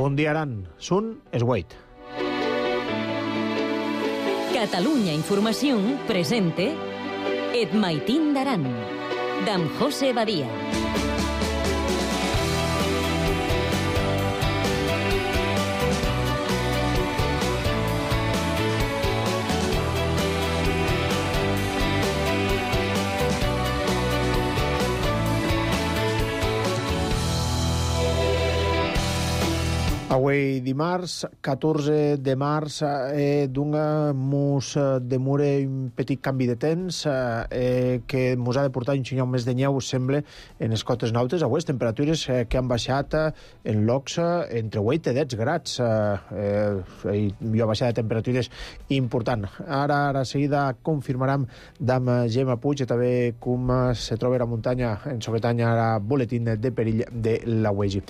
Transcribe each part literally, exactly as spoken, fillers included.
Bon dia, Aran. Sun es Wait. Catalunya Informació presente Et Maitín d'Aran, d'en José Badia. Avui dimarts, catorze de març, eh, d'un mos demora un petit canvi de temps eh, que mos ha de portar un xinyau més de nyeu, sembla, en les cotes nautes. Avui, temperatures eh, que han baixat eh, en locs eh, entre vuit i deu grads. Eh, eh, hi ha baixada de temperatures important. Ara, ara seguida, confirmarem d'am Gemma Puig, i també com se troba la muntanya en Sobretaña, ara boletín de perill de la U E G I.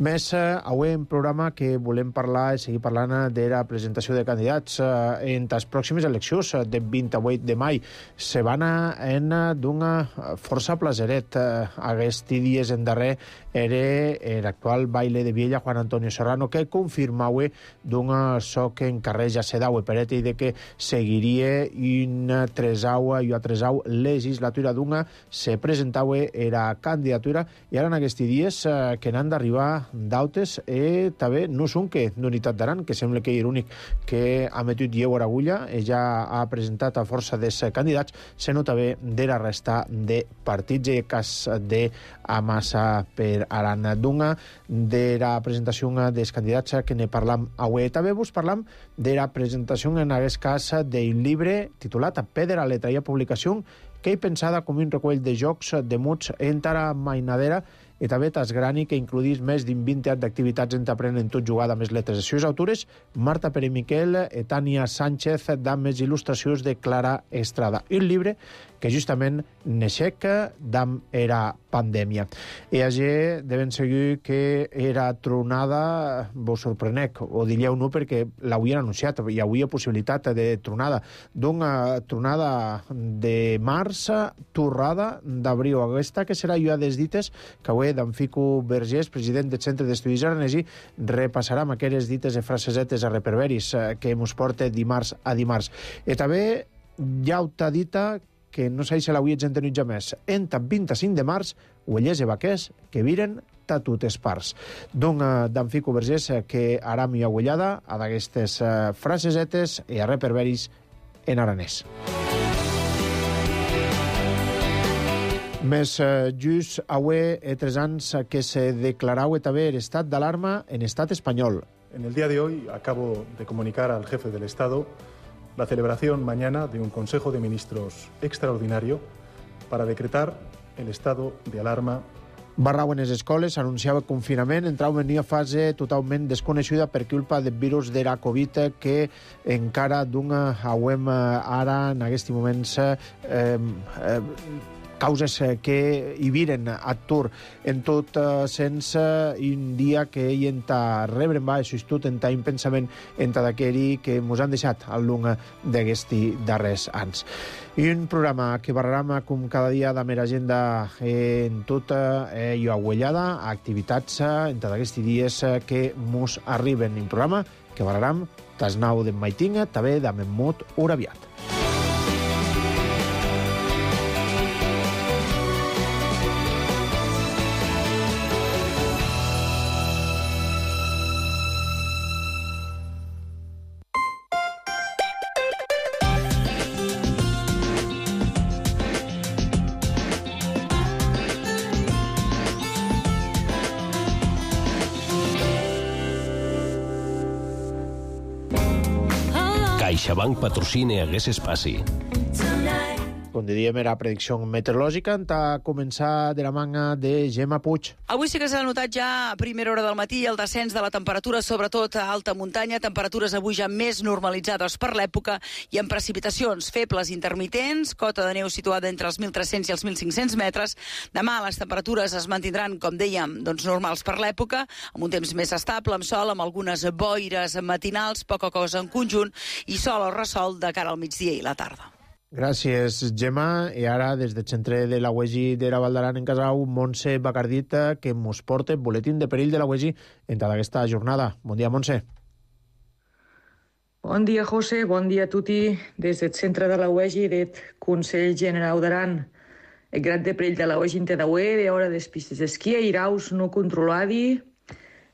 Més, eh, avui en programa que volem parlar i seguir parlant de la presentació de candidats eh, en les pròximes eleccions de vint-i-vuit de maig. Se van en d'una força plaseret. Eh, Aquests dies en darrer era l'actual baile de Viella, Juan Antonio Serrano, que confirmava d'un soc en carrer ja se daue per i de que seguiria una tresaua i una tresau legislatura d'una se presentava era candidatura, i ara en aquests dies eh, que n'han d'arribar d'autes i també no són que d'Unitat d'Aran, que sembla que és l'únic que ha metut lleu a l'agulla, ja ha presentat a força dels candidats, sinó també de la resta de partits, i cas de Amassa per Aran. D'una de la presentació dels candidats que ne parlam avui. També vos parlam de la presentació en aquest cas del llibre titulat Pedra, letra i publicació, que he pensada com un recull de jocs de muts entara mainadera, i també tasgrani que includís més d'un vint d'activitats en t'aprenen tot jugada amb les letres. Les seves autores, Marta Pere Miquel i Tània Sánchez, d'am les il·lustracions de Clara Estrada. I un llibre que justament neixec d'am era pandèmia. I allà devem seguir que era tronada, vos sorprenec, o diríeu no, perquè l'havien anunciat, hi havia possibilitat de tronada. D'una tronada de març, torrada d'abril. Aquesta que serà jo a des dites que avui d'en Fico Vergés, president del Centre d'Estudis Aranesi, repassarem aquelles dites de frasesetes a reperberis que mos porta dimarts a dimarts. I també ja ho t'ha dita que no sé si l'avui ets entenut ja més. Enta vint-i-cinc de març, uellers i vaquers que viren ta totes parts. D'un d'en Fico Vergés que ara m'hi ha uellada a d'aquestes frasesetes i a reperberis en aranès. Més eh, just avui eh, tres anys que se declarau també l'estat d'alarma en estat espanyol. En el día de hoy acabo de comunicar al jefe del Estado la celebración mañana de un Consejo de Ministros extraordinario para decretar el estado de alarma. Barrau en les escoles, anunciava confinament, entrau en una fase totalment desconeguda per culpa del virus de la Covid, que encara d'una hauem ara en aquests moments eh, eh, causes que hi viren a Tur en tot eh, sense un dia que ell enta rebre en va tot enta un pensament enta d'aquell que mos han deixat al lung d'aquests darrers anys. I un programa que barrarem com cada dia de mera agenda en tota eh, i aguellada, activitats enta d'aquests dies que mos arriben. Un programa que barrarem tas nau d'en Maitinga, també de Memmut Uraviat. CaixaBank patrocina aquest espai. Com diríem, era predicció meteorològica. A començar de la manga de Gemma Puig. Avui sí que s'ha notat ja a primera hora del matí el descens de la temperatura, sobretot a alta muntanya. Temperatures avui ja més normalitzades per l'època i amb precipitacions febles intermitents, cota de neu situada entre els mil tres-cents i els mil cinc-cents metres. Demà les temperatures es mantindran, com dèiem, doncs normals per l'època, amb un temps més estable, amb sol, amb algunes boires matinals, poca cosa en conjunt, i sol o ressol de cara al migdia i la tarda. Gràcies, Gemma. I ara, des del centre de la U E G I de la Val d'Aran en Casau, Montse Bacardita, que mos porta boletín de perill de la U E G I en tota aquesta jornada. Bon dia, Montse. Bon dia, José. Bon dia a tutti. Des del centre de la U E G I del Consell General d'Aran. El grad de perill de la U E G I en Tedaué, de hora des pistes d'esquí, iraus no controladi,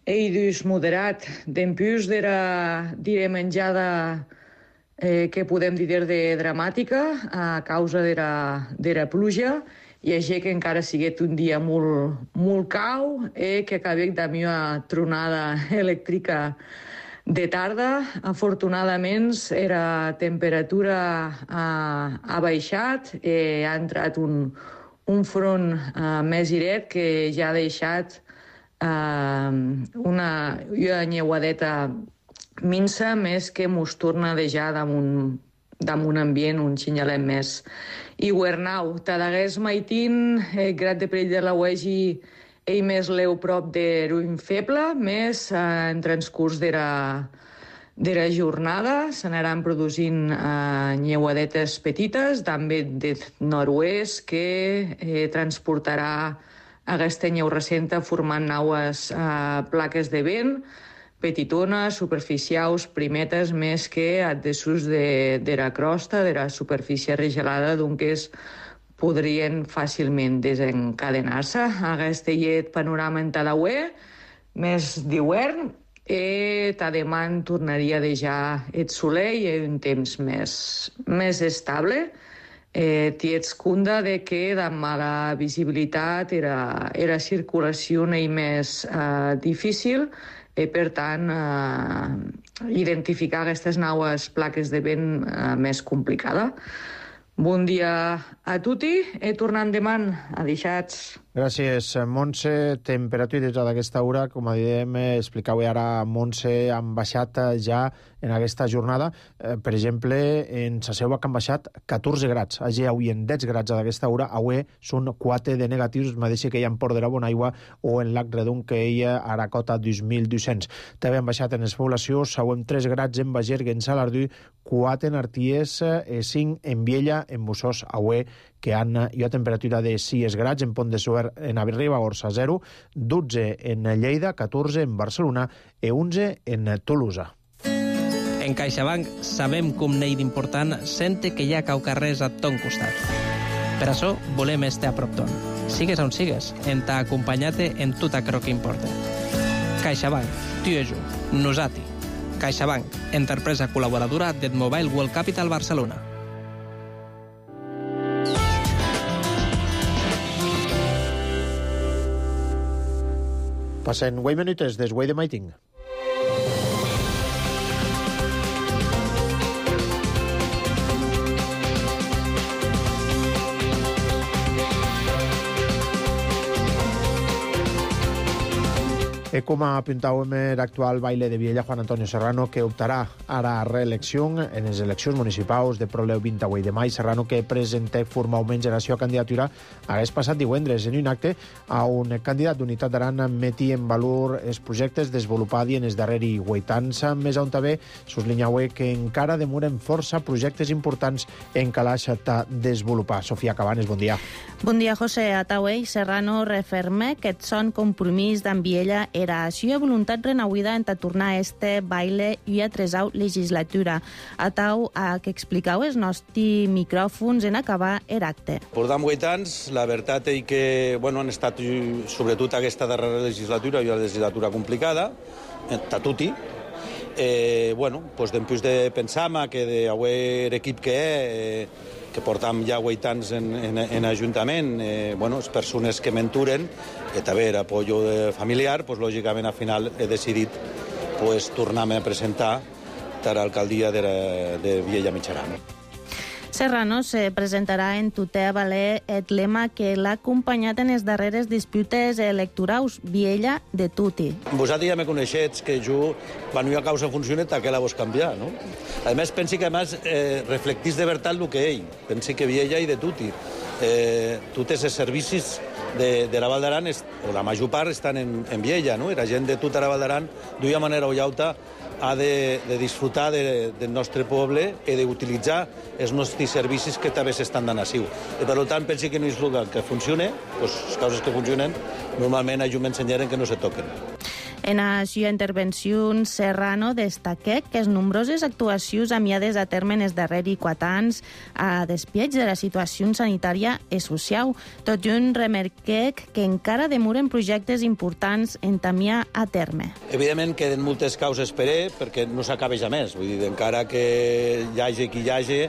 eidus moderat, d'empús d'era dire menjada eh, que podem dir de dramàtica a causa d'era pluja, i així que encara siguet un dia molt, molt cau, eh, que acabé de una tronada elèctrica de tarda. Afortunadament, la temperatura ha, ha baixat, eh, ha entrat un, un front eh, més iret que ja ha deixat eh, una, una nyeuadeta minsa, més que mos torna a deixar damunt, damunt ambient un xinyalet més. I Guernau, Tadagués Maitín, el grad de perill de la U E G I ell més leu prop de ruïn feble, més eh, en transcurs d'era d'era jornada s'anaran produint eh, nyeuadetes petites, també de nord-oest, que eh, transportarà aquesta nyeu recenta formant naues eh, plaques de vent, petitones, superficials, primetes, més que addesus d'era crosta, d'era superfície regelada, doncs podrien fàcilment desencadenar-se. Aquest llet panorama en Tadaué, més d'hivern, i demà tornaria a deixar el soleil i un temps més, més estable. Eh, Tiets cunda de que de mala visibilitat era, era circulació i més eh, difícil, i per tant eh, identificar aquestes naues plaques de vent eh, més complicada. Bon dia a tutti e tornant demà a deixats. Gràcies, Montse. Temperatures d'aquesta hora, com dèiem, explicau ara, Montse, han baixat ja en aquesta jornada. Eh, per exemple, en Saseua que han baixat catorze grads. Allà avui en deu grads d'aquesta hora, avui són quatre de negatius, mateix que hi ha en Port de la Bonaigua o en Lac Redon, que hi ha a la cota dos mil dos-cents. També han baixat en les poblacions, sauem tres grads en Bagergue, en Salardú, quatre en Arties, cinc en Viella, en Bussós, avui, que han hi ha temperatura de sis grads, en Pont de Suert, en Ribagorça, zero, dotze en Lleida, catorze en Barcelona i onze en Tolosa. En CaixaBank sabem com n'hi d'important sente que hi ha caucarrers a ton costat. Per això volem estar a prop ton. Sigues on sigues, en t'ha acompanyat en tot allò que importa. CaixaBank, tu i jo, nosati. CaixaBank, empresa col·laboradora del Mobile World Capital Barcelona. Passen vuit minutes des Way de Maiting. E com apuntàvem l'actual baile de Viella, Juan Antonio Serrano, que optarà ara a reelecció en les eleccions municipals de Proleu vint-i-vuit de maig. Serrano, que presenta formalment la seva candidatura, hagués passat divendres en un acte a un candidat d'Unitat d'Aran meti en valor els projectes desenvolupats en els darrers vuit anys, més on també suslinyau que encara demoren força projectes importants en calaix a desenvolupar. Sofia Cabanes, bon dia. Bon dia, José. Ataué i Serrano referma que són compromís d'en Viella era així a voluntat renauida en tornar a este baile i a tresau legislatura. Atau a que explicau els nostres micròfons en acabar l'acte. Portam vuit anys, la veritat és que bueno, han estat sobretot aquesta darrera legislatura i una legislatura complicada, a tutti. Eh, bueno, pues d'empús de pensar que d'avui l'equip que és, eh, que portam ja vuit anys en, en, en Ajuntament, eh, bueno, les persones que menturen, i també l'apoyo familiar, pues, lògicament al final he decidit pues, tornar-me a presentar a l'alcaldia de, de Viella Mitjaran. Serrano se presentarà en tutea valer el lema que l'ha acompanyat en les darreres disputes electorals, Viella de tutti. Vosaltres ja me coneixets que jo, quan hi ha causa funcioneta, que la vols canviar, no? A més, pensi que a més eh, reflectís de veritat el que ell. Pensi que Viella i de tutti. Eh, tots els servicis de, de la Val d'Aran, o la major part, estan en, en Viella, no? I la gent de tota la Val d'Aran, d'una manera o llauta, ha de, de disfrutar de, del nostre poble i d'utilitzar els nostres servicis que també s'estan donant així. I per tant, pensi que no és el que funcione, doncs les coses que funcionen, normalment ajum ensenyaren que no se toquen. En la seva intervenció, Serrano destaqué que les nombroses actuacions amiades a terme en els darrers quatre anys a despieig de la situació sanitària i social. Tot i un remarqué que encara demoren projectes importants en tamiar a terme. Evidentment queden moltes causes per ell, perquè no s'acaba ja més. Vull dir, encara que hi hagi qui hi hagi,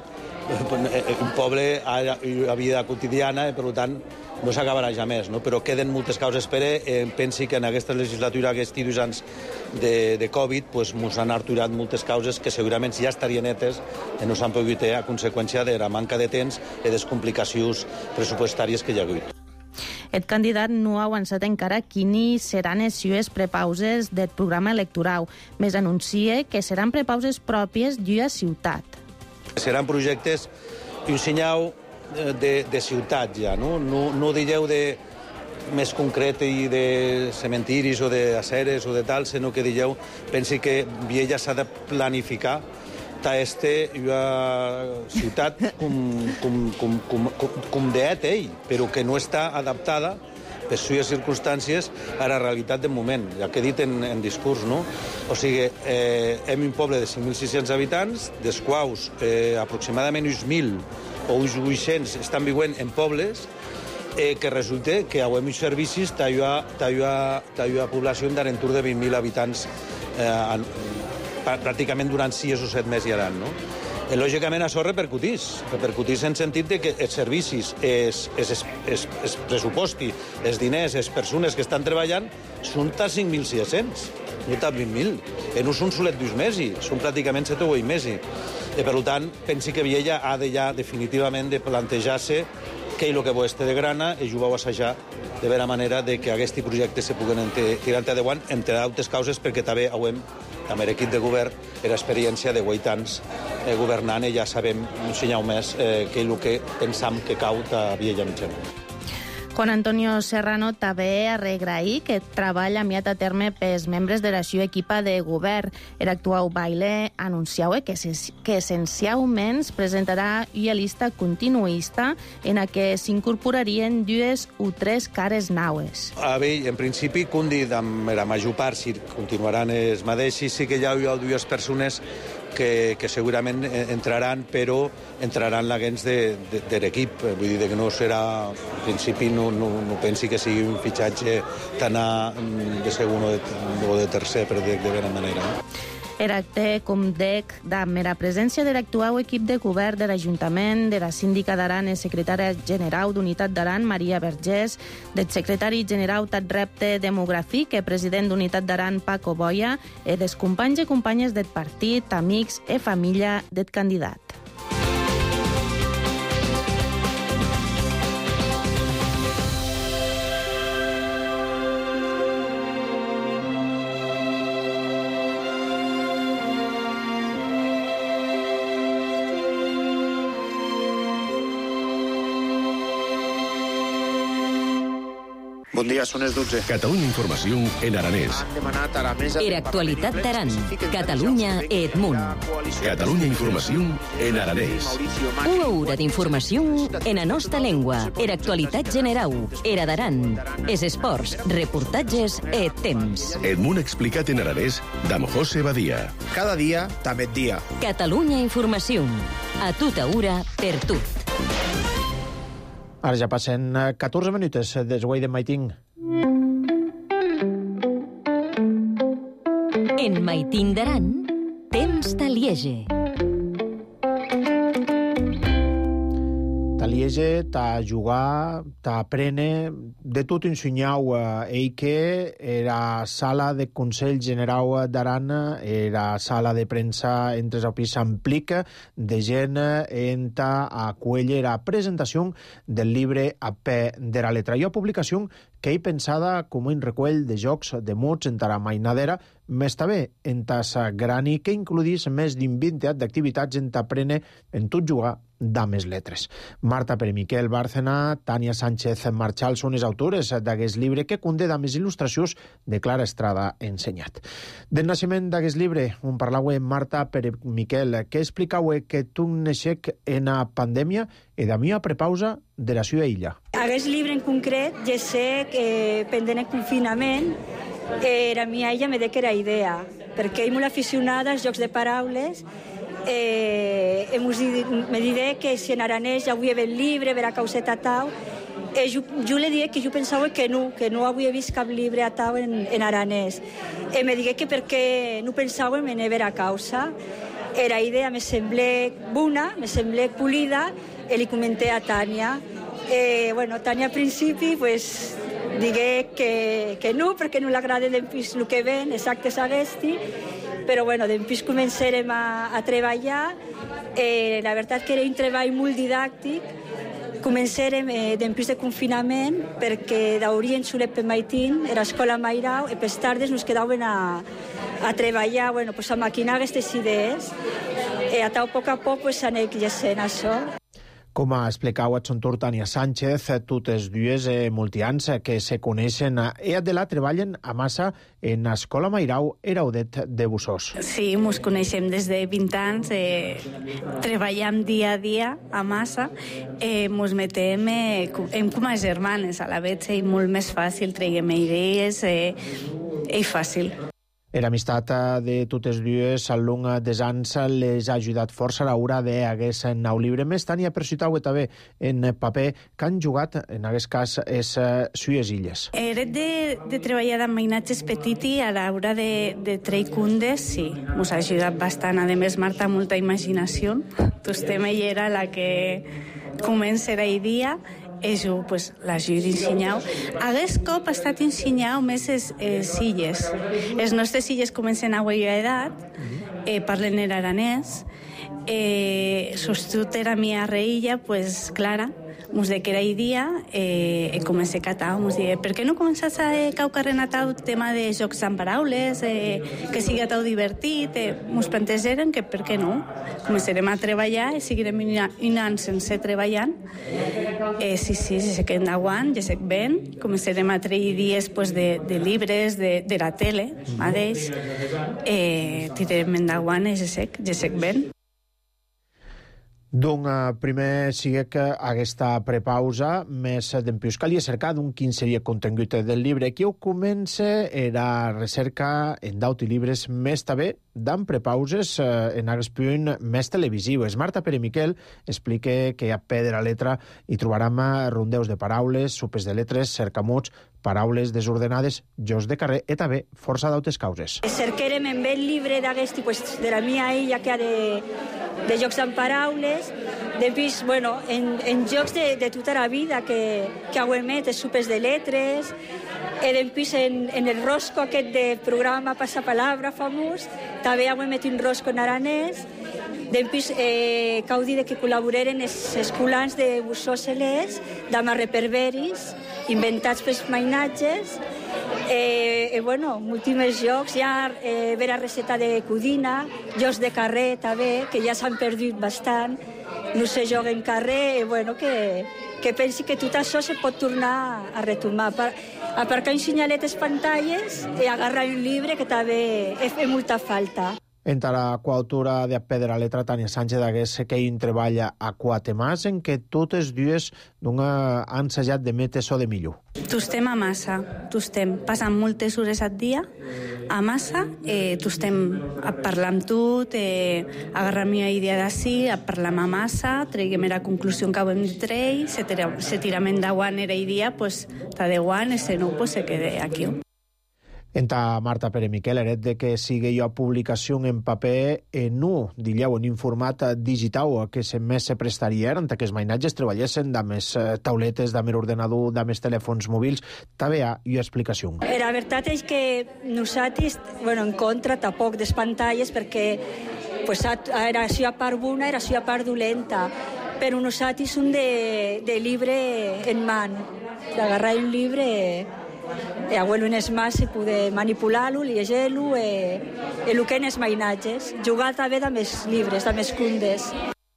un poble ha una vida quotidiana i, per tant, no s'acabarà ja més, no? Però queden moltes causes per ell. Eh, pensi que en aquesta legislatura, aquests dos anys de, de Covid, pues, mos han arturat moltes causes que segurament ja estarien netes i no s'han pogut fer a conseqüència de la manca de temps i de les complicacions pressupostàries que hi ha hagut. El candidat no ha avançat encara quines seran les seves prepauses del programa electoral, més anuncia que seran prepauses pròpies d'una ciutat. Seran projectes i un senyal de, de ciutat ja, no? No, no digueu de més concret i de cementiris o d'aceres o de tal, sinó que digueu, pensi que Viella s'ha de planificar ta este una ciutat com, com, com, com, com, com d'et ell, però que no està adaptada per sues circumstàncies a la realitat del moment, ja que he dit en, en discurs, no? O sigui, eh, hem un poble de cinc mil sis-cents habitants, dels quals eh, aproximadament uns mil o uns vuit-cents estan vivint en pobles, eh, que resulta que avem uns servicis d'una població d'entorn de vint mil habitants eh, pràcticament durant sis o set mesos i l'any, no? I, lògicament, això repercutís. Repercutís en sentit de que els servicis, els, els, els, els pressuposti, els diners, les persones que estan treballant són ta cinc mil sis-cents, no ta vint mil. I no són solet dos mesos, són pràcticament set o vuit mesos. I, per tant, pensi que Viella ha de ja definitivament de plantejar-se què és el que vol este de grana i ho vau assajar de vera manera de que aquests projectes se puguen tirar endavant, entre d'altres causes, perquè també hem amb l'equip de govern era experiència de vuit anys eh, governant i ja sabem un senyal més eh, que és el que pensam que cau a Viella Mitjana. Juan Antonio Serrano també ha regraït que treballa amiat a terme pels membres de la seva equipa de govern. El actual baile anunciau que, que essencialment presentarà una llista continuista en la que s'incorporarien dues o tres cares naues. A bé, en principi, com dit, amb la major part, si continuaran els mateixos, sí que hi ha dues persones que, que segurament entraran, però entraran la gens de, de, de l'equip. Vull dir que no serà, en principi, no, no, no pensi que sigui un fitxatge tan a, de segon o de, o de tercer, per dir de bona manera. No? El acte, com dec, amb la presència de l'actual equip de govern de l'Ajuntament, de la síndica d'Aran i secretària general d'Unitat d'Aran, Maria Vergés, del secretari general Tat Repte Demogràfic i president d'Unitat d'Aran, Paco Boia, i dels companys i companyes del partit, amics i família del candidat. Bon dia, són les dotze. Catalunya Informació en aranès. Era actualitat d'Aran. Catalunya Edmunt. Catalunya Informació en aranès. Una hora d'informació en la nostra llengua. Era actualitat general. Era d'Aran. Es esports, reportatges e temps. Edmunt explicat en aranès d'Am José Badia. Cada dia, també dia. Catalunya Informació. A tota hora, per tot. Ara ja passen catorze minuts des guai de Maiting. En Maiting d'Aran, temps de Liege. Ta Liege, ta jugar, ta aprene, de tot ensenyau eh, ell que era sala de Consell General d'Aran, era sala de premsa entre el pis s'amplica de gent en ta acuella la presentació del llibre A Pe de la letra. I una publicació que hi pensada com un recull de jocs de muts en tara mainadera, més també en tassa grani que includís més d'un vint d'activitats en t'aprene en tot jugar dames letres. Marta Peremiquel Bárcena, Tania Sánchez Marchal són les autores d'aquest llibre que conté dames il·lustracions de Clara Estrada ensenyat. Del naixement d'aquest llibre, on parlau Marta Peremiquel, que explicau que tu neixec en a pandèmia i de mi a prepausa de la seva illa. Aquest llibre en concret, ja sé que pendent el confinament, eh, la mia illa me de que era idea, perquè és molt aficionada als jocs de paraules. Eh, me diré que si en aranès ja avui he vist el llibre, vera causeta tau, eh, jo, jo li diré que jo pensava que no, que no havia vist cap llibre a tau en, en aranès. Eh, me digué que perquè no pensava en vera causa. Era idea me semblé bona, me semblé polida, i li comenté a Tània. Eh, bueno, Tània al principi, pues, digué que, que no, perquè no l'agrada d'empís el que ven, exacte s'aguesti, però bueno, d'empís començarem a, a treballar. Eh, la veritat que era un treball molt didàctic. Començarem eh, d'empís de confinament, perquè d'orient solet per maitín, era escola Mairau, i per tardes nos quedaven a, a treballar, bueno, pues a maquinar aquestes idees. Eh, a tau poc a poc pues, anem llegint això. Com ha explicat a son torn Tània Sánchez, totes dues eh, multians que se coneixen i de la treballen a massa en Escola Mairau Heraudet de Busós. Sí, ens coneixem des de vint anys, eh, treballem dia a dia a massa, eh, ens metem eh, em com a germanes, a la vegada és molt més fàcil, traiem idees, eh, és fàcil. L'amistat de totes dues al long dels anys les ha ajudat força a l'hora d'aquest nou llibre. Més Tània persuitau també en paper que han jugat, en aquest cas, les sues illes. Eret de, de treballar amb mainatges petiti a l'hora de, de treure cundes, sí, ens ha ajudat bastant. A més, Marta, molta imaginació. Tu estem, ella era la que comença la idea. És jo, pues, l'ajut ensenyau. Aquest cop ha estat ensenyau més les eh, illes. Les nostres illes comencen a veure edat, eh, parlen en aranès, eh, sostut era mi arreilla, pues, Clara, mos de que era idea, eh, e comencé a catar, mos dir, per què no començas a eh, caucarren a tau tema de jocs amb paraules, eh, que sigui a tau divertit, eh, mos plantejaren que per què no? Començarem a treballar i seguirem un any sense treballant. Eh, sí, sí, ja sé que endavant, ja sé que ben, començarem a treure dies pues, de, de llibres, de, de la tele, mateix, eh, tirarem endavant, ja sé, ja sé que ben. Doncs primer sigue que aquesta prepausa més d'empius calia cercar d'un quin seria el contingut del llibre. Qui ho comença era recerca en d'aut i llibres més també d'en prepauses en aquest punt més televisius. Marta Peremiquel explica que a peu de la letra hi trobarem rondeus de paraules, supes de letres, cercamots, paraules desordenades, jocs de carrer i també força d'autes causes. Cerquerem en el llibre d'aquest, pues, de la mia illa que ha de, de jocs amb paraules, després, bueno, en, en jocs de, de tota la vida que, que ho emet, supes de letres, i després en, en el rosco aquest de programa Passapalabra famós, també ho emet un rosco en aranès, després eh, cau dir que col·laboreren els escolans de Busós-Celés, d'Amarre Perveris, inventats pels mainatges, eh, eh, bueno, múltiples jocs, hi ha eh, vera receta de codina, jocs de carrer també, que ja s'han perdut bastant, no se joga en carrer, eh, bueno, que, que pensi que tot això se pot tornar a retomar. Per, aparcar un senyalet a les pantalles i agarrar un llibre que també fa molta falta. Entre la coautora de Pedra Letra, Tània Sánchez, d'aquest que hi treballa a quatre mans, en què totes dues han ensajat de metre so de millor. Tu estem a massa, tu estem passant moltes hores al dia a massa, eh, tu estem a parlar amb tu, eh, agarrar una idea d'ací, a parlar amb massa, treguem la conclusió que hem de treure, se, se tirem endavant era idea, pues, ta de guant, i si no, pues, se quede aquí. Enta Marta Peremiquel, eret de que sigui jo publicació en paper en nu, dilleu, en un format digital que se més se prestaria, en que els mainatges treballessin de més tauletes, de més ordenador, de més telèfons mòbils, també hi ha una explicació. La veritat és que nosaltres, bueno, en contra tampoc des pantalles, perquè pues, era això a part bona, era això a part dolenta, però nosaltres som de, de llibre en man. d'agarrar un llibre e abuelo en es mas i poder manipular-lo, llegir-lo e, e el que en els mainatges. Jugar també amb els llibres, amb els condes.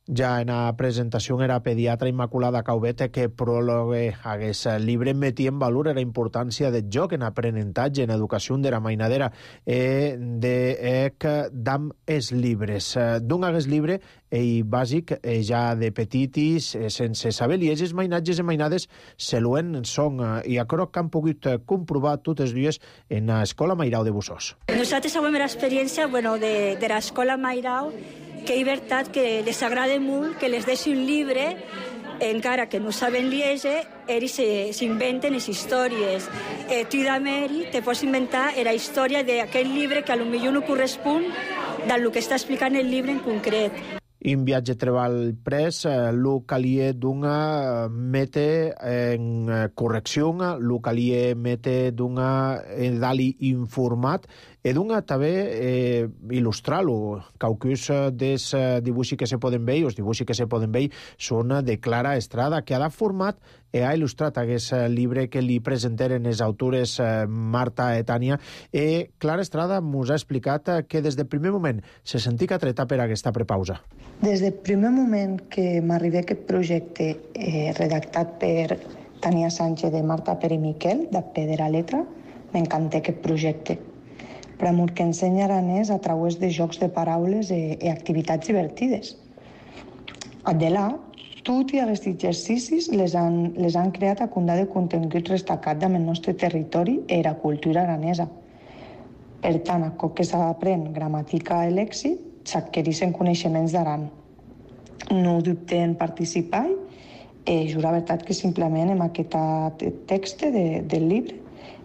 Ja en la presentació era pediatra Immaculada Caubet que pròlogue hagués llibre metia en valor la importància del joc en aprenentatge, en educació de la mainadera e de que dam els llibres. D'un hagués llibre i bàsic ja de petitis, sense saber llegir, els mainatges i mainades se luen són i a croc que han pogut comprovar totes dues en l'escola Mairau de Bussós. Nosaltres sabem l'experiència bueno, de, de l'escola Mairau, que és veritat que les agrada molt que les deixi un llibre, encara que no saben llegir, ells s'inventen les històries. Eh, tu d'Ameri te pots inventar la història d'aquell llibre que potser no correspon del que està explicant el llibre en concret. In viatge treball pres, lo calie d'una mete en correcció, lo calie mete d'una dali informat, e d'una també eh, il·lustrar-lo. Caucus dels dibuixos que se poden veure, els dibuixos que se poden veure, són de Clara Estrada, que ha format i ha il·lustrat aquest llibre que li presenteren les autores Marta i Tània. I Clara Estrada ens ha explicat que des del primer moment se sentia atreta per aquesta prepausa. Des del primer moment que m'arribé aquest projecte eh, redactat per Tània Sánchez de Marta Pere i Miquel, de Pedra Letra, m'encanté aquest projecte. Però molt que ensenya aranès a través de jocs de paraules i, i activitats divertides. De là, tots aquests exercicis les han, les han creat a condar de contingut destacat del nostre territori i la cultura aranesa. Per tant, a cop que s'aprèn gramàtica i lèxic, s'adquireixen coneixements d'aran. No dubte en participar i jura veritat que simplement amb aquest text de, del llibre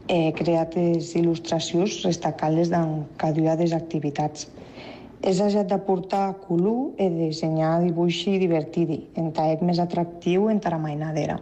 he creat les il·lustracions destacant-les en cada una de les activitats. És ajat de portar color i dissenyar dibuixi divertidi, entraec més atractiu entre la mainadera.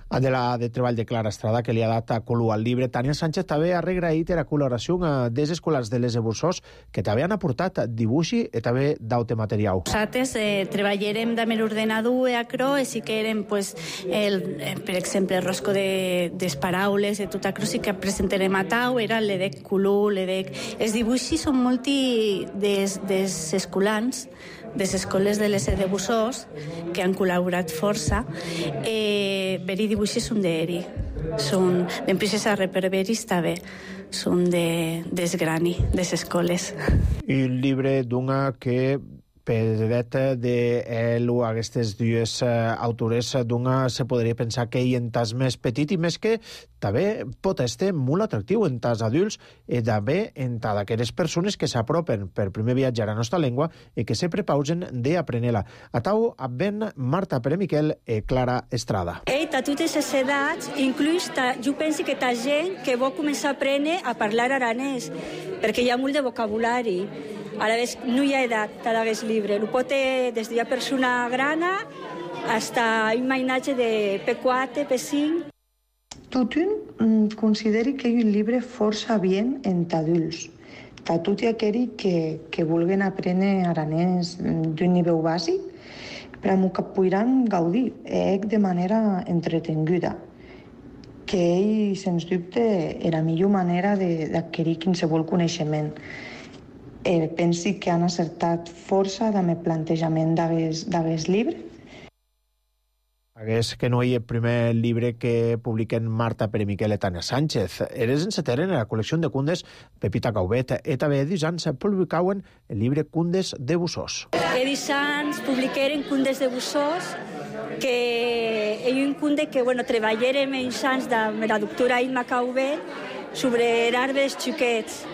De la de treball de Clara Estrada, que li ha dat a color al llibre, Tània Sánchez també ha regraït la col·laboració dels escolars de les de Bussós, que també han aportat dibuixi i també d'aute material. Nosaltres eh, treballarem amb l'ordenador i acro, i sí que érem, pues, el, per exemple, el rosco de, des paraules, de tot acro, sí que presentarem a tau, era l'edec color, l'edec... Els dibuixis són molti des, des escolans, des escoles de les de Bussós, que han col·laborat força. Eh, veri dibuixos són d'eri, són d'empreses a reperveris també, són de, des grani, des escoles. I un llibre d'una que peret de ell o aquestes dues autores d'una se podria pensar que hi entas més petit i més que també pot estar molt atractiu en tas adults i també en tas d'aquelles persones que s'apropen per primer viatge a la nostra llengua i que se prepausen d'aprendre-la. A tau ben Marta Pere Miquel i Clara Estrada. Ei, a totes les edats, inclús ta, jo penso que ta gent que vol començar a aprendre a parlar aranès, perquè hi ha molt de vocabulari. A la vez no hi ha edat per aquest llibre. Ho pot ser des d'una persona grana fins a un mainatge de P quatre, P cinc. Tothom consideri que és un llibre força bien entre adults. Per tot aquells que, que vulguin aprendre aranès d'un nivell bàsic, però que podran gaudir de manera entretenguda, que ell, sens dubte, és la millor manera d'adquirir qualsevol coneixement. Eh, pensi que han acertat força amb el plantejament d'aquest llibre. Hagués que no hi ha el primer llibre que publiquen Marta Pere Miquel i Tània Sánchez. Eres enceteren en la col·lecció de condes Pepita Caubet. I també edisans publicauen el llibre Condes de Bussós. Edisans publiqueren Condes de Bussós, que és un conde que bueno, treballarem en anys amb la doctora Imma Caubet sobre arbres xiquets.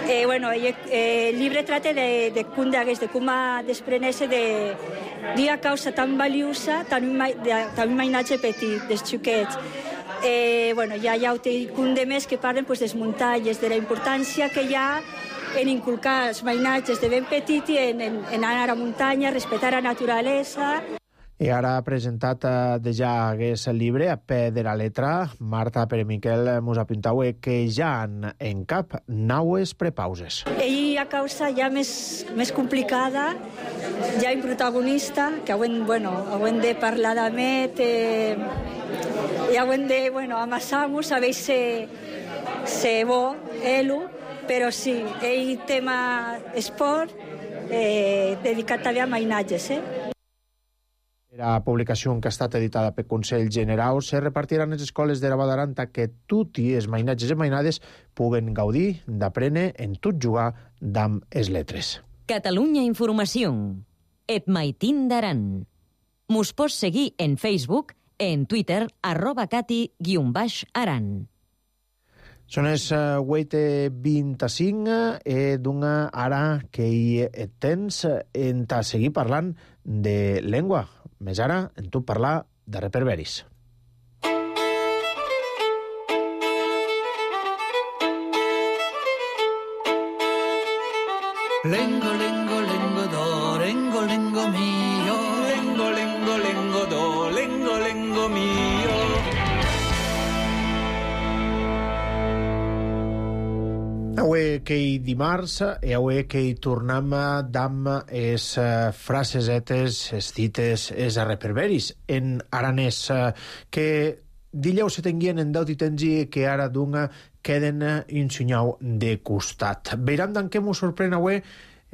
Eh, bueno, eh, el llibre trata de, de com de com a desprenir-se d'una causa tan valiosa, tan un, de, tan un mainatge petit, dels xiquets. Eh, bueno, ja hi ha un de més que parlen pues, des muntanyes, de la importància que hi ha en inculcar els mainatges de ben petit i en, en, en anar a la muntanya, respectar la naturalesa. I ara ha presentat eh, de ja hagués el llibre a peu de la letra. Marta Pere Miquel mos apuntau que ja han en cap naues prepauses. Ell ha causa ja més, més complicada, ja un protagonista, que hauen, bueno, hauen de parlar d'Amet, eh, ja ho hem de, bueno, amassar-nos, a veure se, se bo, elo, però sí, ell tema esport, eh, dedicat també a mainatges, eh? La publicació que ha estat editada pel Consell Generau se repartiran les escoles de la Badaranta que tutti els mainatges i mainades puguen gaudir d'aprendre en tot jugar d'amb es letres. Catalunya Informació. Et maitin d'aran. Mos pots seguir en Facebook, en Twitter, arroba cati guion baix aran. Són les vuit i vint-i-cinc e d'una ara que hi tens en ta seguir parlant de llengua. Més ara, en tu parlar de reperberis. Lengo, lengo, lengo, do, lengo, lengo mio. Lengo, lengo, lengo, do, lengo, lengo mio. Avui que hi dimarts i avui que hi tornem d'am es frasesetes, es dites, es reperberis en aranès que dileu se tenguien en deut i tengi que ara d'una queden ensenyau de costat. Veiram d'en què m'ho sorprèn avui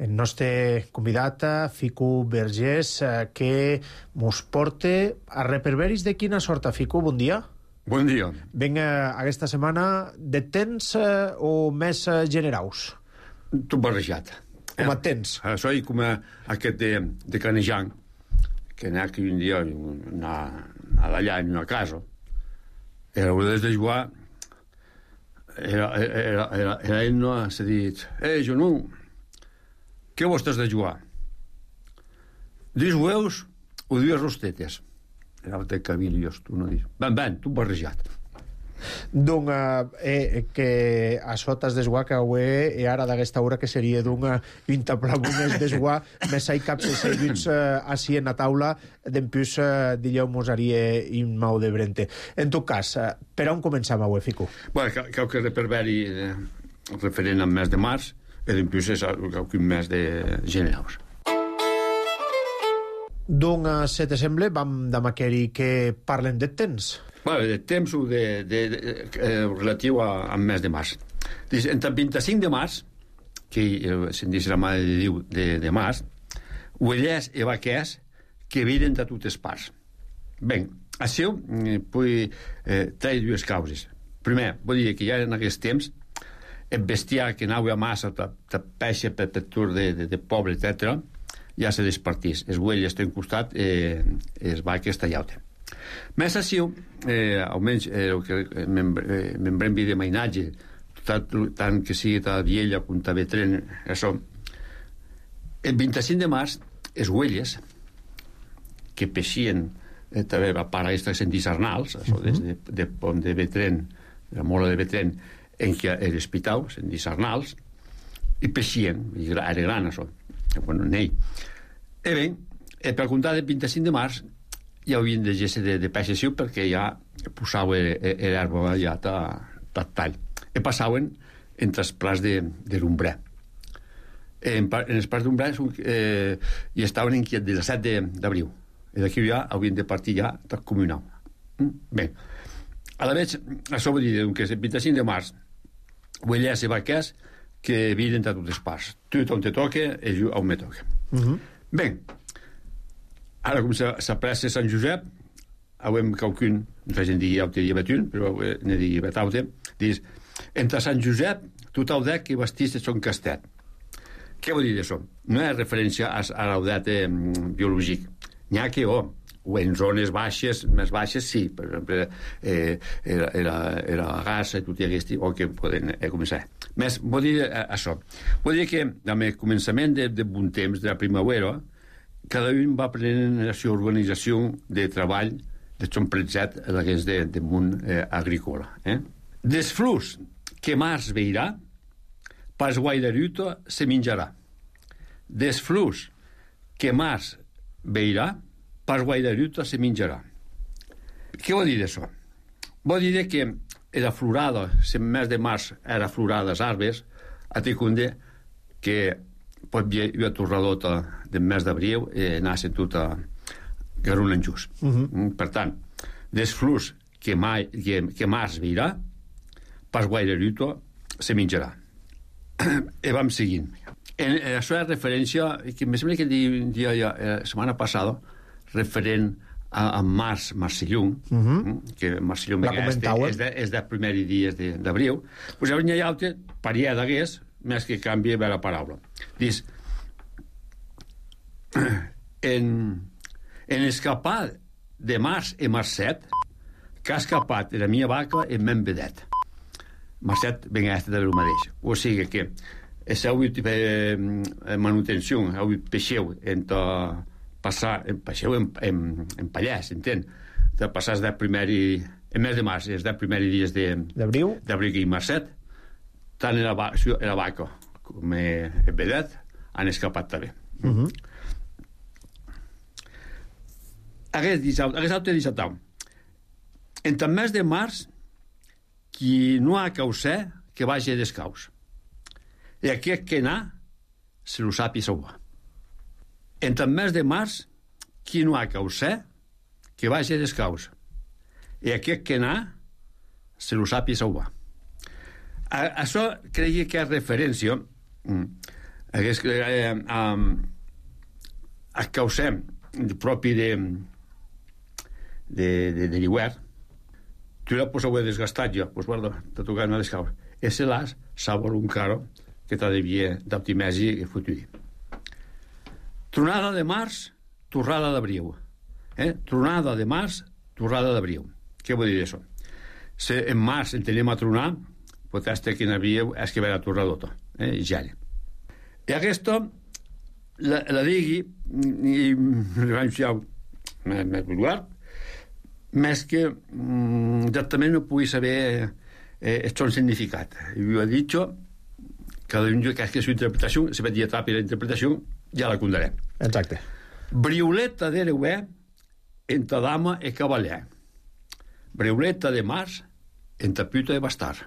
el nostre convidat, Fico Vergés, que mos porta a reperberis de quina sorta, Fico? Bon dia. Bon dia. Vinga, aquesta setmana de temps eh, o més eh, generaus? Tot barrejat. Com et tens? Eh, soy com aquest de, de Canejan, que n'hi ha que un dia anar allà en una casa. Era una de jugar, era, era, era, era ell no s'ha dit, eh, jo no, què vos estàs de jugar? Dius hueus o dius rostetes? Era el Camilios, tu no dius. Ben, ben, tu barrejat. D'un eh, que a sotes d'esguà que avui i ara d'aquesta hora que seria d'un intaplabunes d'esguà més hai caps i seguits així en la taula d'empús eh, dilleu mosaria in mau de brente. En tot cas, eh, per on començam avui, Fico? Bueno, cau que reperberi eh, referent al mes de març i d'empús és cau que un mes de generaus. Doncs, se te sembla, vam de maqueri que parlem de temps. Bueno, de temps de, de, de, eh, relatiu a, al mes de març. Dic, entre el vint-i-cinc de març, que eh, se'n diu la Mare de Déu de, de març, uellers i vaquers que viren de totes parts. Ben, això eh, puc eh, traure dues causes. Primer, vull dir que ja en aquest temps el bestiar que anava a massa, de peixe per tur de, de, de poble, etcètera, ja se despartís. Els uelles estan costat, eh, els vaques tallauten. Més així, eh, almenys eh, el que membrem de mainatge, tant, tant que sigui ta viella com ta vetren, això. El vint-i-cinc de març, els uelles que peixien eh, també a part aquestes en disarnals, això, des de, de pont de vetren, la mola de vetren, en què era espitau, en disarnals, i peixien, i era gran, això. Bueno, nei. E bé, eh, per comptar del vint-i-cinc de març ja havien de geste de, de peixessiu perquè ja posava l'herba ja ta, ta tall. E passaven entre els plats de, de l'ombrer. En, en els plats d'ombrer eh, hi estaven inquiet del set d'abril. I d'aquí ja havien de partir ja del comunal. Mm? Bé, a la vegada, això vol dir que el vint-i-cinc de març uellers i vaquers que viren de totes parts. Tu on te toca i jo on me toca. Uh -huh. Bé, ara com s'apressa Sant Josep, avem qualcun, no sé si en digui aute i betun, però ne digui betaute, dius, entre Sant Josep, tot el dec que vestís de son castet. Què vol dir això? No és referència a, a l'audet eh, biològic. N'hi ha que, oh, o en zones baixes, més baixes, sí, per exemple, eh, era, era, era la gassa i tot i aquest, o que poden eh, començar. Més, vol dir eh, això. Vol dir que, amb el començament de, de bon temps, de la primavera, cada un va prenent la seva organització de treball de son pretzet a l'hagués de, de món eh, agrícola. Eh? Des flors que març veirà, pas guaidaruta se menjarà. Des flors que març veirà, pas guaidaruta se menjarà. Què vol dir d'això? Vol dir que era florada, el mes de març era florada les arbres, a Ticunde, que pot hi havia torradota del mes d'abril i anar-se tota garuna en just. Uh -huh. Per tant, des flors que, mai, que, que març virà, pas guaire lluito, se menjarà. I vam seguint. En, en això és referència, que me sembla que dia ja, la setmana passada, referent a, a març, Marcellum, uh -huh. que Marcellum és, és, de, és de primers dies d'abril, doncs llavors hi ha altre parià d'hagués, més que canvi bé la paraula. Dius, en, en escapar de març i marcet, que ha escapat de la meva vaca en men vedet. Marcet ben este de lo mateix. O sigui que és avui eh, manutenció, avui peixeu entre passar, peixeu en, en, en Pallès, entén? De passar de primer i, en mes de març, és de primers dies d'abril d'abril i marcet, tant en la, en la vaca com en vedet han escapat també. Uh -huh. Aquest dissabte, aquest altre dissabte, entre el mes de març, qui no ha causat, que vagi descaus. I aquest que n'ha, se lo sap i sauva. Entre el mes de març, qui no ha causat, que vagi descaus. I aquest que n'ha, se lo sap i sauva. A, això creia que és referència a, a, a causar propi de de, de, de l'hivern. Tu la pots haver desgastat ja, doncs guarda, t'ha tocat una descaus. Ese l'has sabor un caro que t'ha devia d'optimesi i futuri. Tronada de març, torrada d'abril. Eh? Tronada de març, torrada d'abril. Què vol dir això? Si en març en tenim a tronar, potser que n'havia és que ve la torradota, eh? I gel. I aquesta la, la digui i més vulgar, més que mm, exactament no pugui saber eh, el seu significat. Jo he dit cada un que és que la interpretació, si veig etapa la interpretació, ja la condarem. Exacte. Briuleta de l'euè entre dama i cavaller. Briuleta de març entre puta i bastard.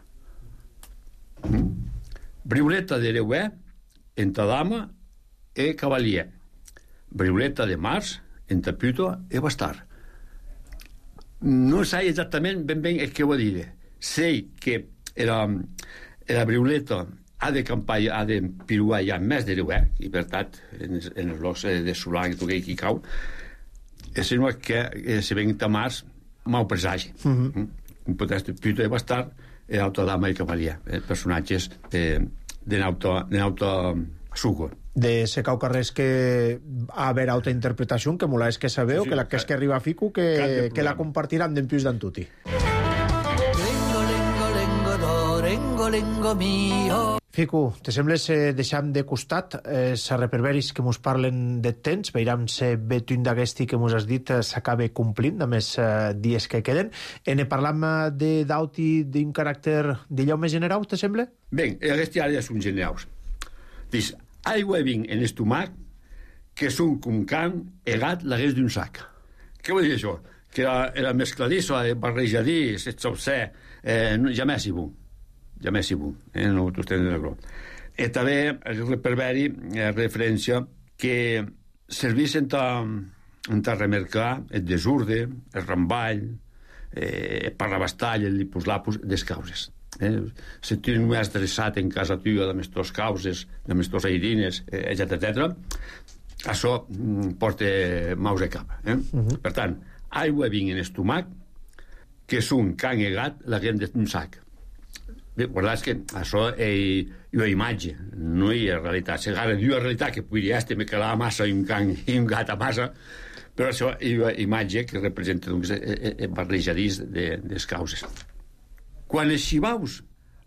Mm? Briuleta de l'euè entre dama i cavaller. Briuleta de març entre puta i bastard. No sé exactament ben bé el que ho dir. Sé que la, la briuleta ha de campar, ha de piruar ja més de l'euè, i per tant, en, en els locs de solar que toquei qui cau, sinó que eh, si venc a març, mau presagi. Uh -huh. mm? Potser puta i bastard, i autodama i cavaller, eh, personatges de, de nauta suco. De se cau carrers que a haver altra interpretació, que mola és que sabeu, sí, sí, que la que és que arriba a Fico, que, que la compartiran d'empius d'antuti. Lengo, lengo, lengo, do, lengo, lengo mio. Fico, te sembla si deixam de costat eh, sa reperberis que mos parlen de temps, veiram si betun d'aquesti que mos has dit eh, s'acabe complint, a més eh, dies que queden. E ne parlam de d'auti d'un caràcter d'allò més general, te sembla? Bé, aquests ara ja són generals. Dius, aigua i vinc en estomac que són com can egat l'agués d'un sac. Què vol dir això? Que la, la mescladissa, el barrejadís, el sopser, eh, ja més hi bon. Ja més hi bon. Eh, no t'ho estem de gros. I també el reperberi eh, referència que servís en ta, en ta remercar el desurde, el ramball, eh, el parrabastall, el lipus-lapus, des causes. Eh? Si tu no has dreçat en casa tua de les teves causes, de les teves airines, eh, etcètera, etcètera, això mm, porta maus a cap. Eh? Uh -huh. Per tant, aigua vinc en estomac, que són can egat la gent d'un sac. Bé, guardats que això és una imatge, no hi ha realitat. Si ara diu la realitat que podria estar me quedava massa i un can i un gat a massa, però això és una imatge que representa doncs, el barrejadís de les causes. Quan els xivaus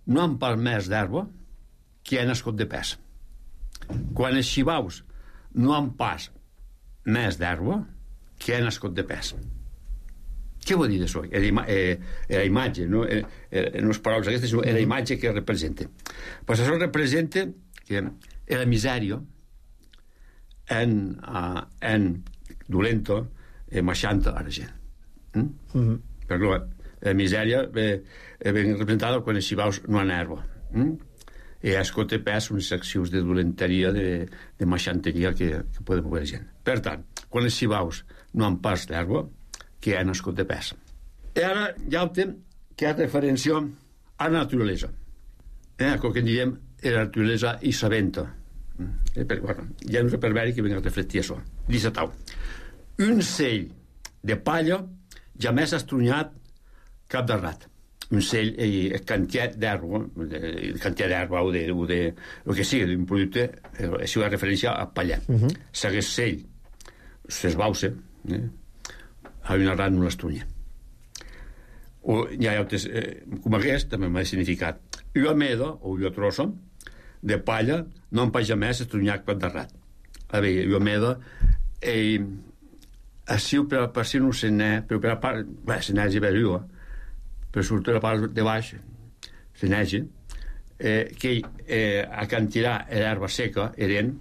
no han palmès d'herba, que ha nascut de pes. Quan els xivaus no han pas més d'herba, que ha nascut de pes. Què vol dir això? Era eh, la imatge, no, eh, eh, no les paraules aquestes, sinó la imatge que representa. Pues això representa que la misèria en, uh, en dolenta eh, marxanta a la gent. Mm? Mm-hmm. Perquè la misèria ve, ben representada quan els xivaus no han herba. Mm? I escolta pes unes accions de dolenteria, de, de marxanteria que, que poden moure la gent. Per tant, quan els xivaus no han pas d'herba, que han nascut de pes. I ara hi ha un temps que ha referència a la naturalesa. Eh, el que diem la naturalesa i sabenta. Eh, perquè, bueno, hi ha un reperberi que venga a reflectir això. Dice tal. Un cell de palla ja més estrunyat cap de rat. Un cell, eh, quantitat d'herba, quantitat d'herba o de, o de, el que sigui, d'un producte, eh, això és referència a pallar. Uh -huh. Segueix cell, s'esbauça, eh, a una rat no l'estronya. O hi ha altres, eh, com aquest, també m'ha significat. Una meda, o una trossa, de palla, no em paja més estrunyat cap de rat. A veure, una meda, eh, així per, per si no se n'è, però per la part, bé, se n'è és veure, per sortir la part de baix, se n'è, eh, que eh, a cantirar l'herba seca eren,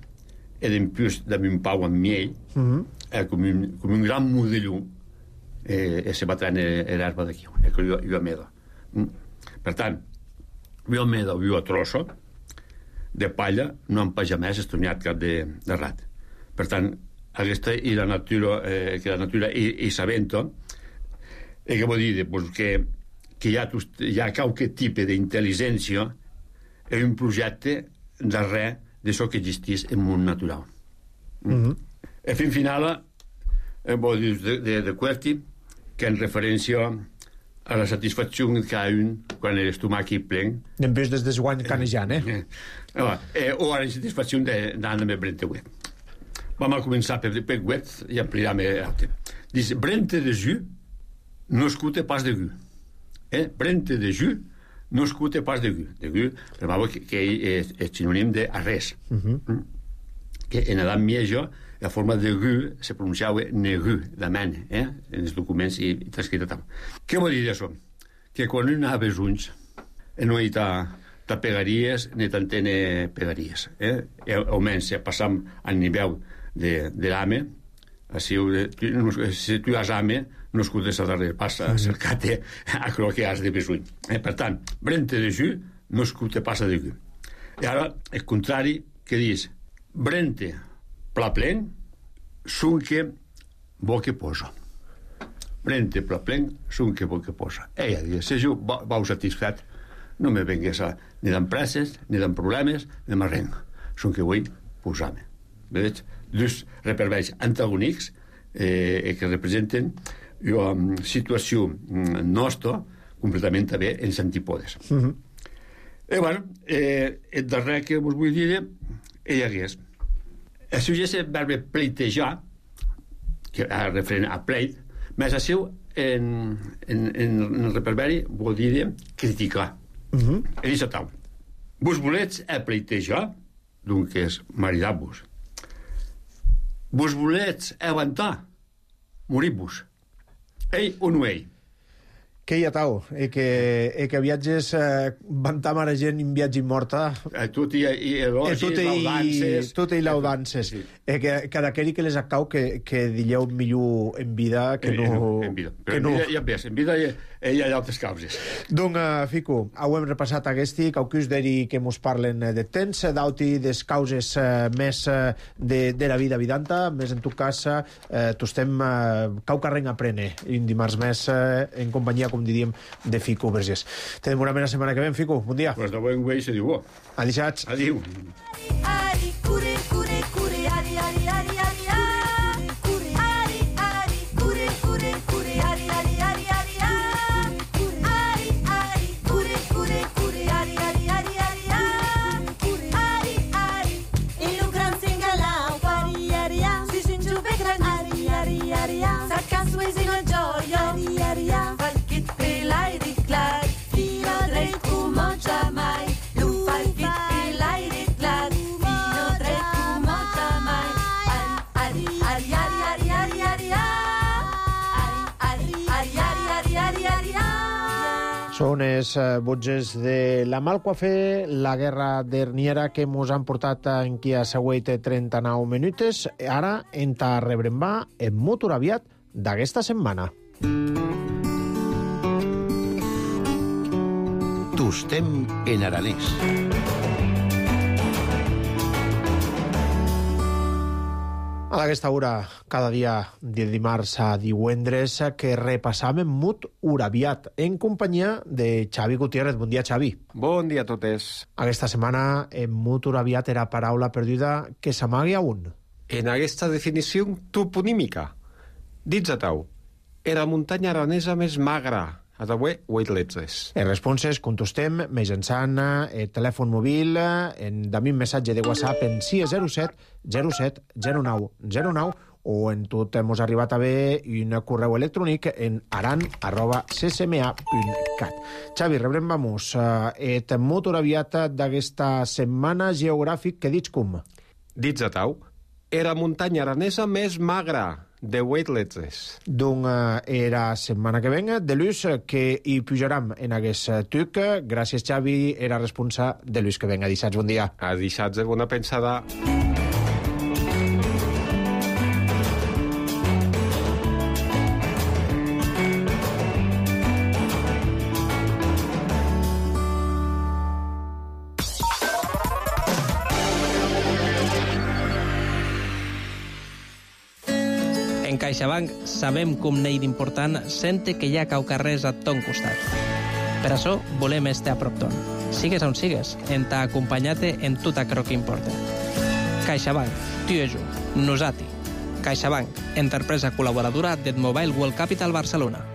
eren pius de un pau amb miel, uh -huh. eh, com, un, com un gran modelló, eh, e se batrà l'herba d'aquí, eh, que una meda. Mm. Per tant, una meda o una trossa de palla no em paja més estronyat cap de, de rat. Per tant, aquesta i la natura, eh, que la natura i, i sabenta, eh, que vol dir pues, que, que hi ha, hi ha qualque tipus d'intel·ligència en un projecte darrere d'això que existís en el món natural. Mm. Mm-hmm. E fin final, eh, vol dir de, de, de Querti, que en referència a la satisfacció que ha un quan l'estómac hi plen. Després des de guany canejant, eh? eh, eh o a la satisfacció d'anar amb Brente Wet. Vam a començar per, per Wet i ampliarem l'altre. Dice, Brente de jus no escute pas de gu. Eh? Brente de jus no escute pas de gu. De gu, però que, que és, és sinònim de res. Uh -huh. mm? Que en Adam Miejo la forma de gu se pronunciava negu, de men, eh? En els documents i, i transcrit tal. Què vol dir això? Que quan un ha besunys no hi ha pegaries ni t'entene pegaries. Eh? Almenys, passam al nivell de, de l'ame, si, si tu has ame, no escutes a darrere, passa a cercar-te a el que has de besuny. Eh? Per tant, Brente de jus no escute passa de gu. I ara, el contrari, que dius, Brente pla plen, sunque bo que posa. Brente pla plen, sunque bo que posa. Ella diu, si jo vau satisfet, no me vengués a, ni d'empreses, ni d'en problemes, ni de res. Sunque vull posar-me. Veig? Dos reperveis antagònics eh, que representen una situació nostra completament també en antípodes. Uh -huh. I bueno, eh, el darrer que vos vull dir ell hagués. Això ja és el verbe pleitejar, que és referent a pleit, més això en, en, en el reperberi vol dir criticar. Uh -huh. I dice tal. Vos volets a pleitejar, doncs és maridar-vos. Vos volets aguantar, morir-vos. Ei o no ei? Que hi ha tau, e que, e que viatges eh, vantar mare gent en viatge morta. Eh, tot i, i elogis, eh, laudances. Tot i laudances. Sí. Eh, que cada queri que les acau que, que dilleu millor en vida que no... En vida. Però que en no... vida ja ves, en vida hi, hi ha altres causes. Donc, uh, Fico, ho hem repassat aguesti, caucus d'eri que mos parlen de temps, d'auti des causes uh, més uh, de, de la vida vidanta, més en tu cas, uh, tu estem uh, cau carreng a prene, un dimarts més uh, en companyia, com diríem, de Fico Vergés. Tenim una mena setmana que ven, Fico. Bon dia. Pues de bon güey se diu bo. Adixats. Adiu. Ari, cure, cure, cure, ari, ari, ari, ari, ari, cure, ari, ari, cure, cure, cure, ari, ari, ari, ari, ari, ari, cure, cure, cure, ari, ari, ari, ari, ari, ari, in un gran singalau, ari, ari, si sinju be gran, ari, ari, ari, saca sues in a gioia, ari, ari, falkit pelai di clar, fino drei cum mai, lu falkit pelai di clar, fino drei cum mai, ari, ari, ari, ari, ari, ari, ari, ari, ari, ari, ari, ari, Són els uh, botges de la Malquafe, la guerra d'Herniera que mos han portat en qui ha següit trenta-nou minuts. Ara en ta rebrembar en motor aviat d'aquesta setmana. Tostem en aranès. A aquesta hora, cada dia de dimarts a divendres, que repassam Mut Urabiat, en companyia de Xavi Gutiérrez. Bon dia, Xavi. Bon dia a totes. Aquesta setmana, en Mut Urabiat era paraula perduda que s'amagui a un. En aquesta definició toponímica, dits a tau, era la muntanya aranesa més magra, a d'avui Weightless. En responses contestem mitjançant el telèfon mòbil en també un missatge de WhatsApp en sis zero set zero set zero nou zero nou o en tot hemos arribat a ver un correu electrònic en aran arroba c s m a punt cat. Xavi, rebrem vamos et Mut Urabiat d'aquesta setmana geogràfic que dits com? Dits a tau, era la muntanya aranesa més magra, de Weightless. Donc, era setmana que venga, de l'ús que hi pujaram en aquest tuc. Gràcies, Xavi, era responsable de l'ús que venga. A dissats, bon dia. A dissats, bona pensada. En CaixaBank sabem com n'hi d'important sente que hi ha caucarrers a ton costat. Per això volem estar a prop ton. Sigues on sigues, en t'ha acompanyat-te en tot aquello que importa. CaixaBank, tu i jo, nosati. CaixaBank, empresa col·laboradora del Mobile World Capital Barcelona.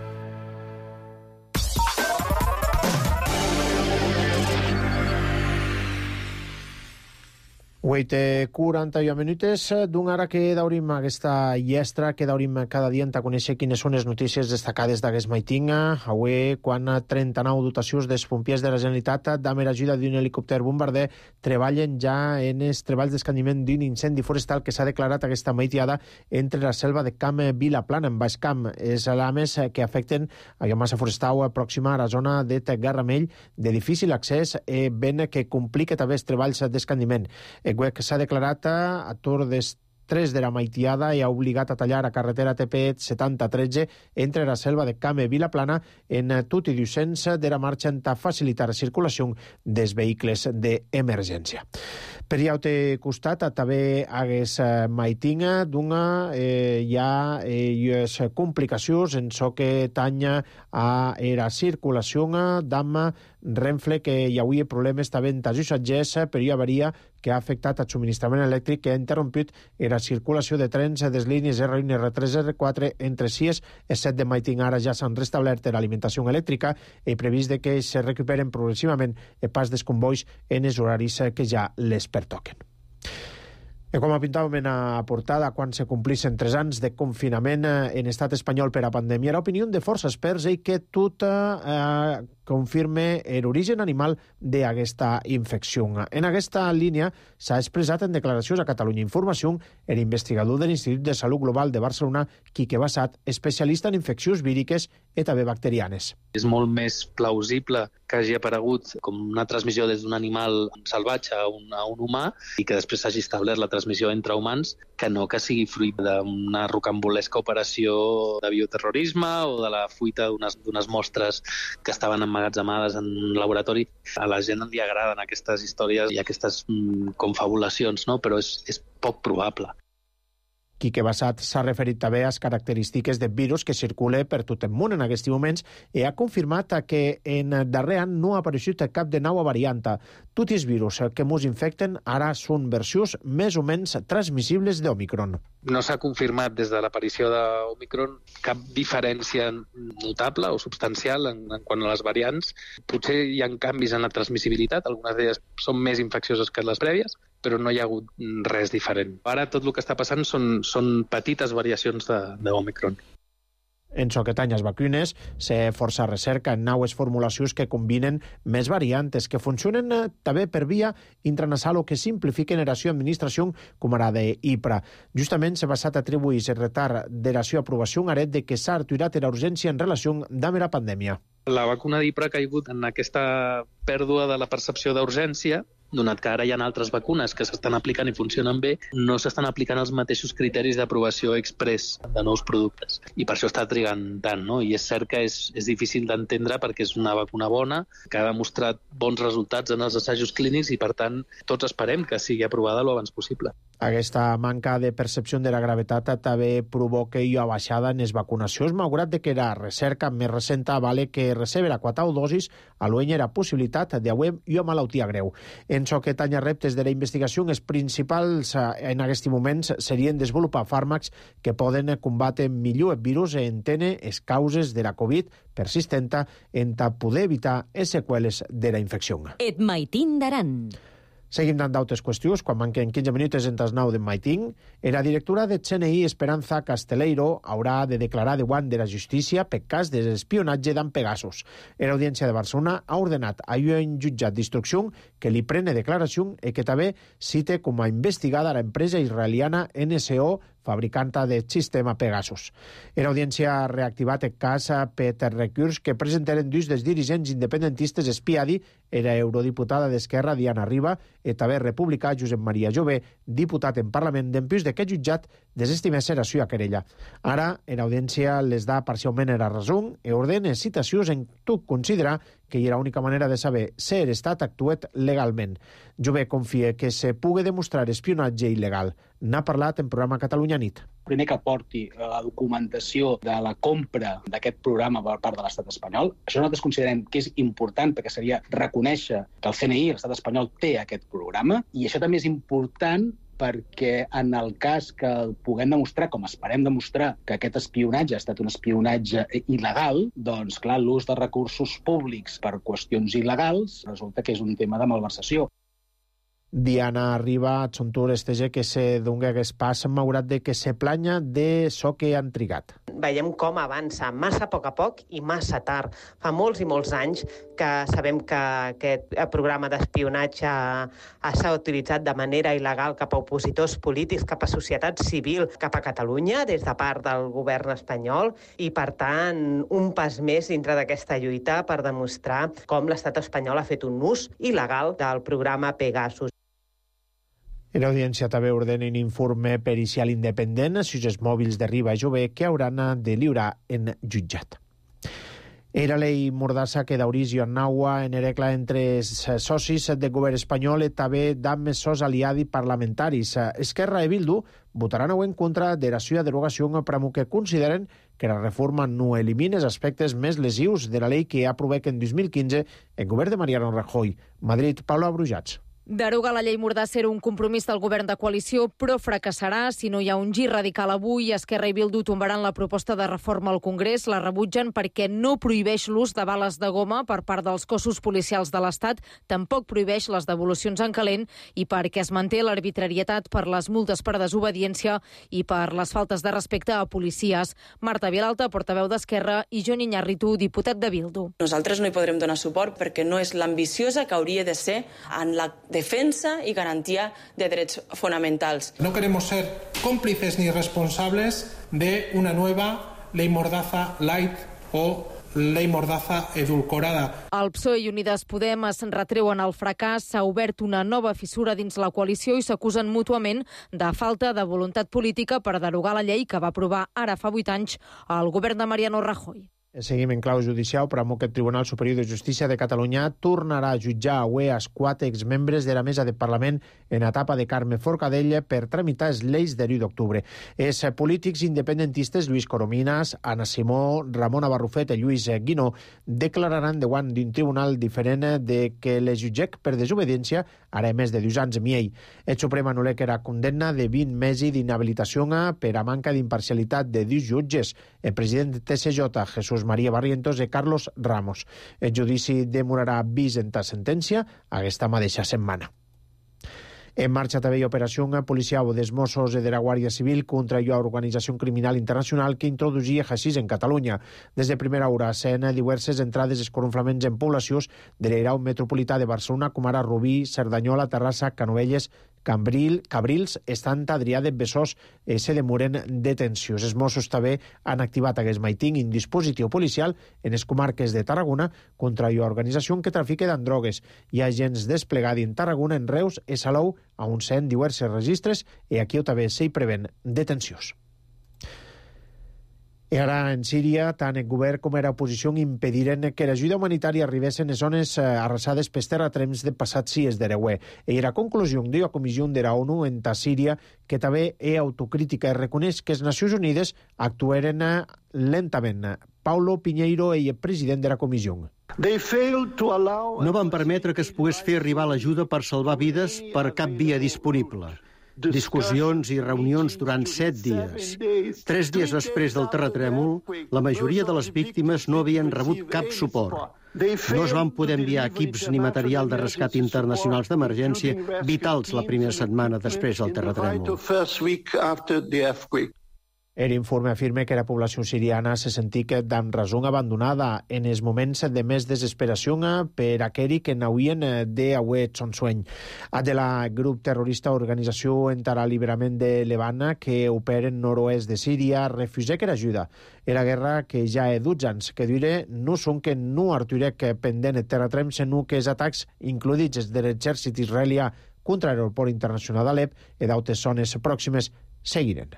Huit quaranta-un minutes d'un ara que daurim aquesta llestra, que daurim cada dia a conèixer quines són les notícies destacades d'aquest maiting. Avui, quan trenta-nou dotacions dels pompiers de la Generalitat d'Amer ajuda d'un helicòpter bombarder treballen ja en els treballs d'escandiment d'un incendi forestal que s'ha declarat aquesta maitiada entre la selva de Camp Vilaplana, en Baix Camp. És alames que afecten a la massa forestal pròxima a la zona de Garramell, de difícil accés, eh, ben que complica també els treballs d'escandiment. Que s'ha declarat a torn des tres de la maitiada i ha obligat a tallar a carretera T P setanta tretze entre la selva de Camp Vilaplana en tot i docents de la marxa a facilitar la circulació dels vehicles d'emergència. Per hi ha altre costat, també hagués maitinga d'una eh, hi ha eh, complicacions en so que tanya a la circulació d'ama Renfe, que hi havia problemes també en els passatgers, però hi avaria que ha afectat el subministrament elèctric, que ha interromput la circulació de trens des línies R un, R tres, R quatre entre sis i set de maiting. Ara ja s'han restablert l'alimentació elèctrica i previst de que se recuperen progressivament el pas dels convois en els horaris que ja les pertoquen. I com apuntàvem en la portada, quan se complissin tres anys de confinament en estat espanyol per a pandèmia, l'opinió de força experts i que tot eh, confirme l'origen animal d'aquesta infecció. En aquesta línia s'ha expressat en declaracions a Catalunya Informació l'investigador de l'Institut de Salut Global de Barcelona, Quique Bassat, especialista en infeccions víriques i també bacterianes. És molt més plausible que hagi aparegut com una transmissió des d'un animal salvatge a un, a un humà i que després s'hagi establert la transmissió entre humans, que no que sigui fruit d'una rocambolesca operació de bioterrorisme o de la fuita d'unes mostres que estaven emmagatzemades en un laboratori. A la gent li agraden aquestes històries i aquestes mm, confabulacions, no? Però és, és poc probable. Quique Bassat s'ha referit també a les característiques del virus que circula per tot el món en aquests moments i ha confirmat que en darrer any no ha aparegut cap de nova variant. Tots els virus que ens infecten ara són versions més o menys transmissibles d'Omicron. No s'ha confirmat des de l'aparició d'Omicron cap diferència notable o substancial en, en quant a les variants. Potser hi ha canvis en la transmissibilitat, algunes d'elles són més infeccioses que les prèvies, però no hi ha hagut res diferent. Ara tot el que està passant són, són petites variacions d'Omicron. En so que tanya les vacunes, s'ha força recerca en noves formulacions que combinen més variantes, que funcionen també per via intranasal o que simplifiquen la seva administració, com ara de Ipra. Justament s'ha basat a atribuir el retard de la seva aprovació en aret de que s'ha aturat la urgència en relació amb la pandèmia. La vacuna d'Ipra ha caigut en aquesta pèrdua de la percepció d'urgència, donat que ara hi ha altres vacunes que s'estan aplicant i funcionen bé, no s'estan aplicant els mateixos criteris d'aprovació express de nous productes. I per això està trigant tant, no? I és cert que és, és difícil d'entendre perquè és una vacuna bona, que ha demostrat bons resultats en els assajos clínics i, per tant, tots esperem que sigui aprovada lo abans possible. Aquesta manca de percepció de la gravetat també provoca una baixada en les vacunacions, malgrat de que la recerca més recent vale que recebre a quatre dosis a l'uenya la possibilitat d'haver una malaltia greu. En això que tanya reptes de la investigació, els principals en aquests moments serien desenvolupar fàrmacs que poden combatre millor el virus i entendre les causes de la Covid persistenta en poder evitar les seqüeles de la infecció. Et Maitín d'Aran. Seguim dant d'altres qüestions. Quan manquen quinze minuts entre les nou de Maitín, la directora de C N I, Esperanza Casteleiro, haurà de declarar davant de la justícia per cas d'espionatge d'en Pegasus. L'Audiència de Barcelona ha ordenat a un jutjat d'instrucció que li prene declaració i que també cite com a investigada l'empresa israeliana N S O, fabricanta del sistema Pegasus. L'Audiència ha reactivat el cas per recurs que presentaren dos dels dirigents independentistes espiadi, era eurodiputada d'Esquerra Diana Riba i també republicà Josep Maria Jové, diputat en Parlament, d'empús d'aquest jutjat desestimés ser a sua querella. Ara, l'Audiència les da parcialment la raó i ordena citacions en tot considerar que hi era l'única manera de saber si l'Estat actuat legalment. Jové confia que se pugui demostrar espionatge il·legal. N'ha parlat en programa Catalunya Nit. Primer que porti la documentació de la compra d'aquest programa per part de l'estat espanyol. Això nosaltres considerem que és important perquè seria reconèixer que el C N I, l'estat espanyol, té aquest programa, i això també és important perquè en el cas que puguem demostrar, com esperem demostrar, que aquest espionatge ha estat un espionatge il·legal, doncs, clar, l'ús de recursos públics per qüestions il·legals resulta que és un tema de malversació. Diana Riba, Adsuntur, estege que se donga aquest pas, malgrat de que se planya de so que han trigat. Veiem com avança massa a poc a poc i massa tard. Fa molts i molts anys que sabem que aquest programa d'espionatge s'ha utilitzat de manera il·legal cap a opositors polítics, cap a societat civil, cap a Catalunya, des de part del govern espanyol, i, per tant, un pas més dintre d'aquesta lluita per demostrar com l'estat espanyol ha fet un ús il·legal del programa Pegasus. L'Audiència també ordena un informe pericial independent sobre els mòbils de Riba i Jové que hauran de lliurar en jutjat. Era llei Mordassa que daurís i annaua en herecla entre els socis del govern espanyol i també d'amb els seus aliats parlamentaris. Esquerra i Bildu votaran avui en contra de la seva derogació per que consideren que la reforma no elimina els aspectes més lesius de la llei que ha aprovat en dos mil quinze el govern de Mariano Rajoy. Madrid, Paula Brujats. Derogar la llei Mordassa era un compromís del govern de coalició, però fracassarà si no hi ha un gir radical avui. Esquerra i Bildu tombaran la proposta de reforma al Congrés, la rebutgen perquè no prohibeix l'ús de bales de goma per part dels cossos policials de l'Estat, tampoc prohibeix les devolucions en calent i perquè es manté l'arbitrarietat per les multes per desobediència i per les faltes de respecte a policies. Marta Vilalta, portaveu d'Esquerra, i Jon Iñárritu, diputat de Bildu. Nosaltres no hi podrem donar suport perquè no és l'ambiciosa que hauria de ser en la defensa y garantía de derechos fundamentals. No queremos ser cómplices ni responsables de una nueva ley Mordaza light o ley Mordaza edulcorada. El P S O E i Unides Podem es retreuen el fracàs, s'ha obert una nova fissura dins la coalició i s'acusen mútuament de falta de voluntat política per derogar la llei que va aprovar ara fa vuit anys el govern de Mariano Rajoy. Seguim en clau judicial, però amb que el Tribunal Superior de Justícia de Catalunya tornarà a jutjar avui els quatre exmembres de la mesa de Parlament en etapa de Carme Forcadell per tramitar les lleis de l'u d'octubre. Els polítics independentistes Lluís Corominas, Anna Simó, Ramona Barrufet i Lluís Guinó declararan davant d'un tribunal diferent de que les jutgec per desobediència ara més de dos anys i mig. El Suprem anul·la que era condemna de vint mesos d'inhabilitació per a manca d'imparcialitat de dos jutges, el president de T S J, Jesús María Barrientos i Carlos Ramos. El judici demorarà vist en ta sentència aquesta mateixa setmana. En marxa també hi ha operació policial dels Mossos de la Guàrdia Civil contra la organització criminal internacional que introduïa haixís en Catalunya. Des de primera hora s'han diverses entrades i escorronflaments en poblacions de l'Airau metropolità de Barcelona, com ara Rubí, Cerdanyola, Terrassa, Canovelles, Cambril, Cabrils, Sant Adrià de Besòs eh, se demoren detencions. Els Mossos també han activat aquest matí un dispositiu policial en les comarques de Tarragona contra la organització que trafica amb drogues. Hi ha agents desplegats en Tarragona, en Reus i Salou, on s'han diversos registres i aquí també s'hi preven detencions. I ara, en Síria, tant el govern com la oposició impediren que l'ajuda humanitària arribés en les zones arrasades pels terratrèmols de passats dies d'Ereuer. I la conclusió de la Comissió de la ONU en ta Síria, que també és autocrítica i reconeix que les Nacions Unides actuaren lentament. Paulo Pinheiro és el president de la comissió. No van permetre que es pogués fer arribar l'ajuda per salvar vides per cap via disponible. Discussions i reunions durant set dies. Tres dies després del terratrèmol, la majoria de les víctimes no havien rebut cap suport. No es van poder enviar equips ni material de rescat internacionals d'emergència vitals la primera setmana després del terratrèmol. L'informe afirma que la població siriana se sentia d'en raó abandonada en els moments de més desesperació per aquells que n'havien d'haver son sueny. A de la grup terrorista Organització per l'Alliberament de Levant, que opera en nord-oest de Síria, refusà que l'ajuda. Era guerra que ja he dotze anys, que dire no són que no arturec pendent el terratrèmol, sinó que els atacs includits de l'exèrcit israelià contra l'aeroport internacional d'Alep i d'altres zones pròximes seguiren.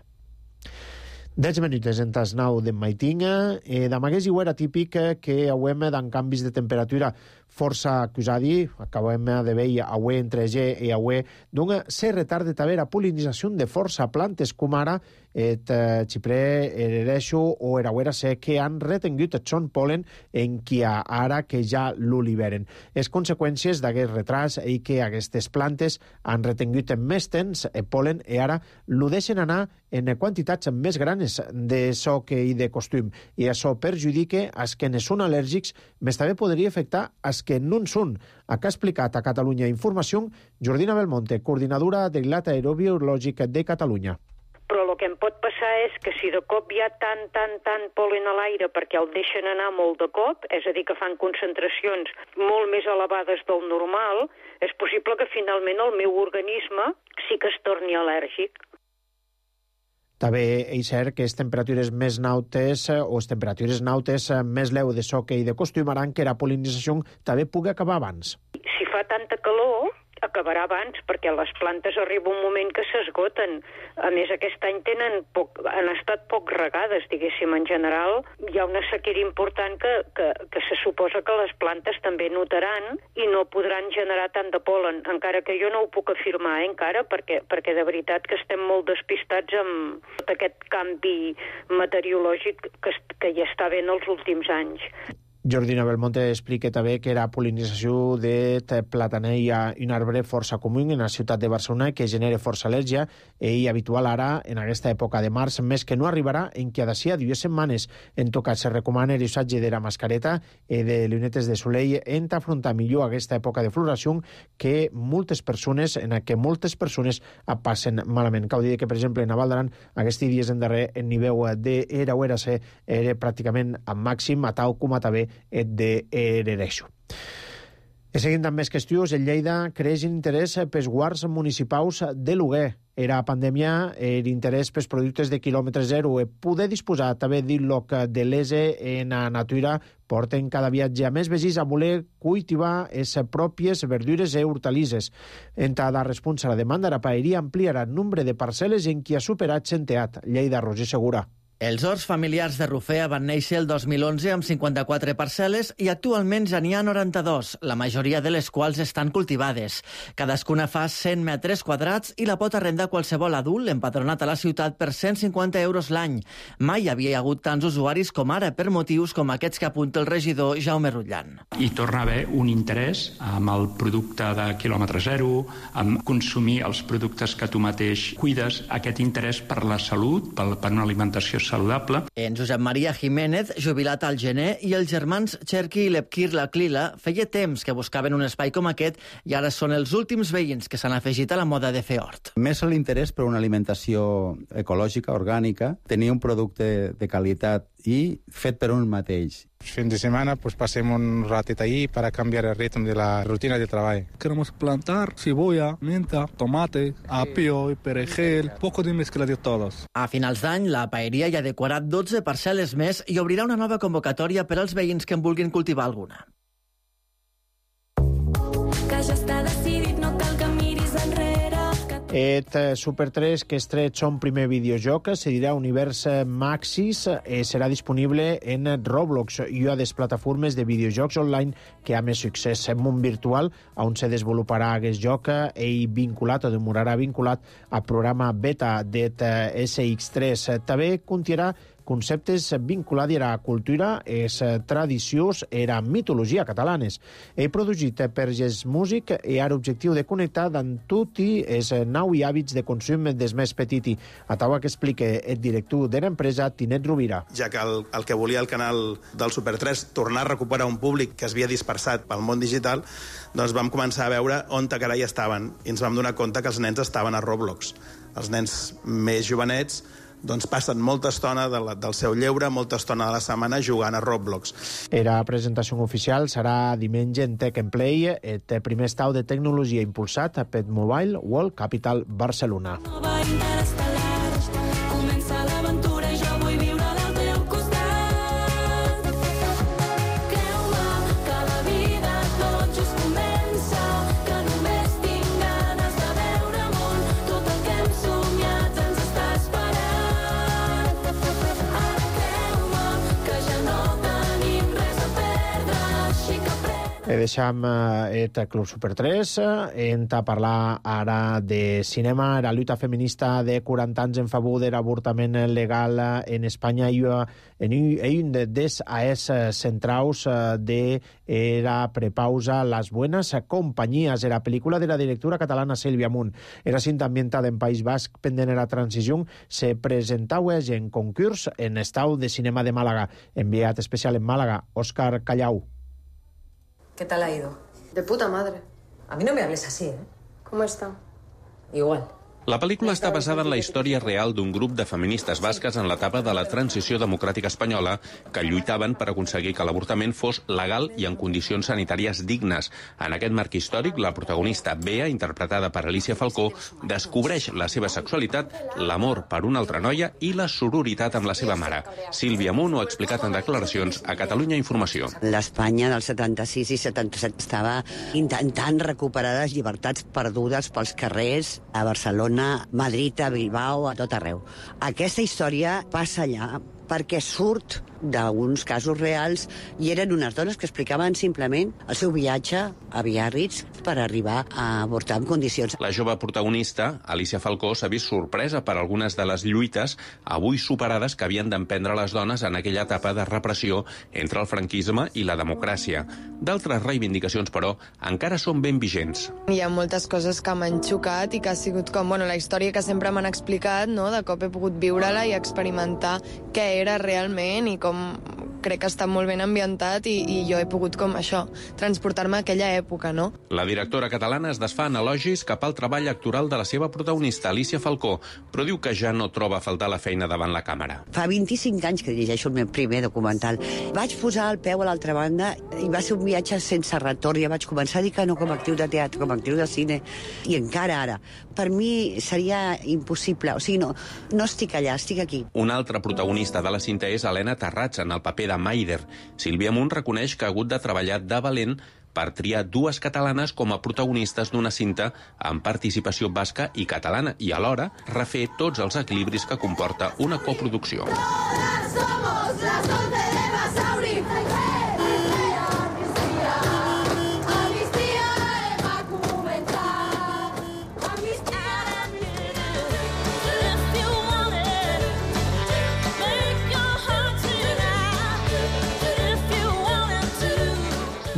Dez minuts en tas nou d'en Maitinga. Eh, D'amagués i ho era típic que hauem d'en canvis de temperatura força acusadi, acabem de veure avui entre G i avui, d'un se retarda també la polinització de força plantes com ara et xiprer, erereixo o erauera sé que han retengut el son polen en qui ara que ja l'oliveren. Les conseqüències d'aquest retras i que aquestes plantes han retengut en més temps el polen i ara lo deixen anar en quantitats més grans de so que hi de costum. I això perjudica als que ne són al·lèrgics, més també podria afectar als que no en són. Acá ha explicat a Catalunya Informació Jordina Belmonte, coordinadora de l'Ilat Aerobiològic de Catalunya. Però el que em pot passar és que si de cop hi ha tant, tant, tant polen a l'aire perquè el deixen anar molt de cop, és a dir, que fan concentracions molt més elevades del normal, és possible que finalment el meu organisme sí que es torni al·lèrgic. També és cert que les temperatures més nautes o les temperatures nautes més leu de so que hi de costumaran que la polinització també pugui acabar abans. Si fa tanta calor, acabarà abans, perquè les plantes arriba un moment que s'esgoten. A més, aquest any tenen poc, han estat poc regades, diguéssim. En general, hi ha una sequera important que, que, que se suposa que les plantes també notaran i no podran generar tant de polen, encara que jo no ho puc afirmar, eh, encara, perquè, perquè de veritat que estem molt despistats amb tot aquest canvi meteorològic que, que hi està havent els últims anys. Jordina Belmonte explica també que la polinització de plataner hi ha un arbre força comú en la ciutat de Barcelona que genera força al·lèrgia i habitual ara en aquesta època de març, més que no arribarà en què d'ací a dues setmanes. En tot cas, se recomana l'usatge de la mascareta i de llunetes de soleil en afrontar millor aquesta època de floració que moltes persones, en què moltes persones passen malament. Cal dir que, per exemple, en Val d'Aran, aquests dies en darrer, el nivell d'era o era C era pràcticament al màxim, a tal com a també et de Erereixo. I seguint amb més qüestions, el Lleida creix interès pels guards municipals de lloguer. Era pandèmia, l'interès pels productes de quilòmetre zero e poder disposar també d'il·loc de l'E S E en la natura porten cada viatge a més vegis a voler cultivar les pròpies verdures i hortalisses. En cada resposta a la demanda, la paeria ampliarà el nombre de parcel·les en qui ha superat centeat. Lleida, Roger Segura. Els horts familiars de Rufea van néixer el dos mil onze amb cinquanta-quatre parcel·les i actualment ja n'hi ha noranta-dos, la majoria de les quals estan cultivades. Cadascuna fa cent metres quadrats i la pot arrendar qualsevol adult empadronat a la ciutat per cent cinquanta euros l'any. Mai hi havia hagut tants usuaris com ara per motius com aquests que apunta el regidor Jaume Rutllan. Hi torna a haver un interès amb el producte de quilòmetre zero, amb consumir els productes que tu mateix cuides, aquest interès per la salut, per una alimentació saludable. En Josep Maria Jiménez, jubilat al gener, i els germans Cherky i Lepkir Laklila feia temps que buscaven un espai com aquest i ara són els últims veïns que s'han afegit a la moda de fer hort. Més l'interès per una alimentació ecològica, orgànica, tenir un producte de qualitat i fet per un mateix. Fin de semana pues pasemos un ratito ahí para cambiar el ritmo de la rutina de trabajo. Queremos plantar cebolla, menta, tomate, apio y perejil, poco de mezcla de todos. A finals d'any, la paeria ja ha decorat dotze parcel·les més i obrirà una nova convocatòria per als veïns que en vulguin cultivar alguna. Que ja està decidit, no cal que miris enrere. Que... Et Super tres, que estret son primer videojoc, se dirà Univers Maxis, eh, serà disponible en Roblox i a les plataformes de videojocs online que ha més succés. En món virtual, on se desenvoluparà aquest joc, ell vinculat o demorarà vinculat al programa beta d'et esse ics tres. També contirà conceptes vinculats a la cultura, les tradicions i la mitologia catalanes. He producit per Gest Music i ha l'objectiu de connectar amb tots els nous hàbits de consum dels més petits. A taula que explica el director de l'empresa, Tinet Rovira. Ja que el, el que volia el canal del Super tres, tornar a recuperar un públic que es havia dispersat pel món digital, doncs vam començar a veure on te carai estaven i ens vam donar compte que els nens estaven a Roblox. Els nens més jovenets doncs passen molta estona de la, del seu lleure, molta estona de la setmana jugant a Roblox. La presentació oficial serà diumenge en Tech and Play, el primer estau de tecnologia impulsat per Mobile World Capital Barcelona. Comença l'aventura i jo vull viure al teu costat. Creu-me que la vida tot just comença, que només tinc ganes de veure món, tot el que hem somiat ens està esperant. Ara creu-me que ja no tenim res a perdre, així que pren... Deixam el Club Super tres, hem de parlar ara de cinema. La lluita feminista de quaranta anys en favor de l'avortament legal en Espanya i un dels eix centrals de la prepausa Las Buenas Compañías, la pel·lícula de la directora catalana Sílvia Munt. Era cinta ambientada en País Basc pendent de la transició, se presentava en concurs en estau de cinema de Màlaga. Enviat especial en Màlaga, Òscar Callau. ¿Qué tal ha ido? De puta madre. A mí no me hables así, ¿eh? ¿Cómo está? Igual. La pel·lícula està basada en la història real d'un grup de feministes basques en l'etapa de la transició democràtica espanyola que lluitaven per aconseguir que l'avortament fos legal i en condicions sanitàries dignes. En aquest marc històric, la protagonista Bea, interpretada per Alicia Falcó, descobreix la seva sexualitat, l'amor per una altra noia i la sororitat amb la seva mare. Sílvia Munt ho ha explicat en declaracions a Catalunya Informació. L'Espanya del setanta-sis i setanta-set estava intentant recuperar les llibertats perdudes pels carrers a Barcelona, a Madrid, a Bilbao, a tot arreu. Aquesta història passa allà perquè surt d'uns casos reals i eren unes dones que explicaven simplement el seu viatge a Biarritz per arribar a avortar en condicions. La jove protagonista, Alicia Falcó, s'ha vist sorpresa per algunes de les lluites avui superades que havien d'emprendre les dones en aquella etapa de repressió entre el franquisme i la democràcia. D'altres reivindicacions, però, encara són ben vigents. Hi ha moltes coses que m'han xocat i que ha sigut com, bueno, la història que sempre m'han explicat, no? De cop he pogut viure-la i experimentar què era realment i com crec que està molt ben ambientat i, i jo he pogut com això, transportar-me a aquella època, no? La directora catalana es desfà en elogis cap al treball actoral de la seva protagonista, Alicia Falcó, però diu que ja no troba a faltar la feina davant la càmera. Fa vint-i-cinc anys que dirigeixo el meu primer documental. Vaig posar el peu a l'altra banda i va ser un viatge sense retorn. Ja vaig començar a dir que no com a actriu de teatre, com a actriu de cine, i encara ara. Per mi seria impossible. O sigui, no, no estic allà, estic aquí. Una altra protagonista de la cinta és Helena Terrats, en el paper de Maider. Sílvia Munt reconeix que ha hagut de treballar de valent per triar dues catalanes com a protagonistes d'una cinta amb participació basca i catalana i alhora refer tots els equilibris que comporta una coproducció. Somos las once de Basauri.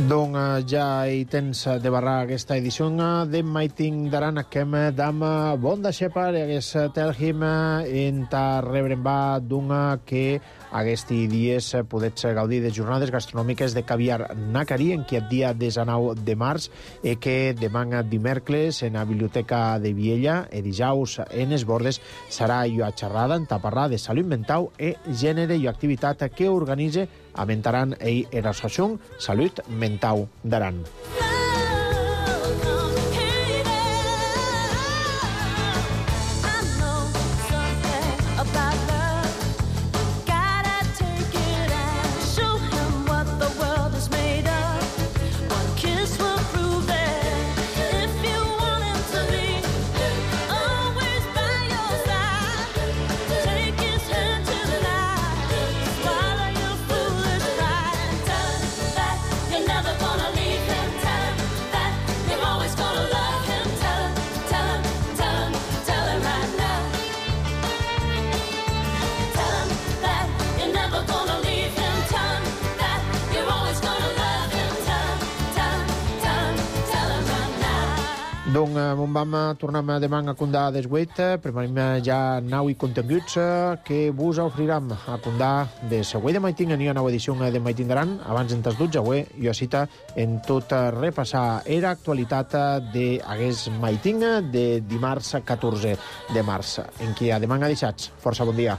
Doncs ja hi tens de barrar aquesta edició de Maiting d'Aran, que hem d'am bon de xepar i hagués telhim en ta rebren va d'una que aquests dies podets gaudir de jornades gastronòmiques de caviar Nacari en aquest dia desenou de març i que demà dimecres en la Biblioteca de Viella i dijous en es Bordes serà jo xerrada en taparrar de salut mental i gènere i activitat que organitza Amentaran i l'associació Salut Mental d'Aran. Donc, on vam tornar demà a Condà des vuit, preparem ja nau i continguts que vos oferirem a Condà de següent de Maiting, n'hi ha nova edició de Maiting d'Aran, abans en tas dotze, avui jo cita en tot repassar era actualitat d'Agués Maiting de dimarts catorze de març, en qui a demà ha deixats. Força bon dia.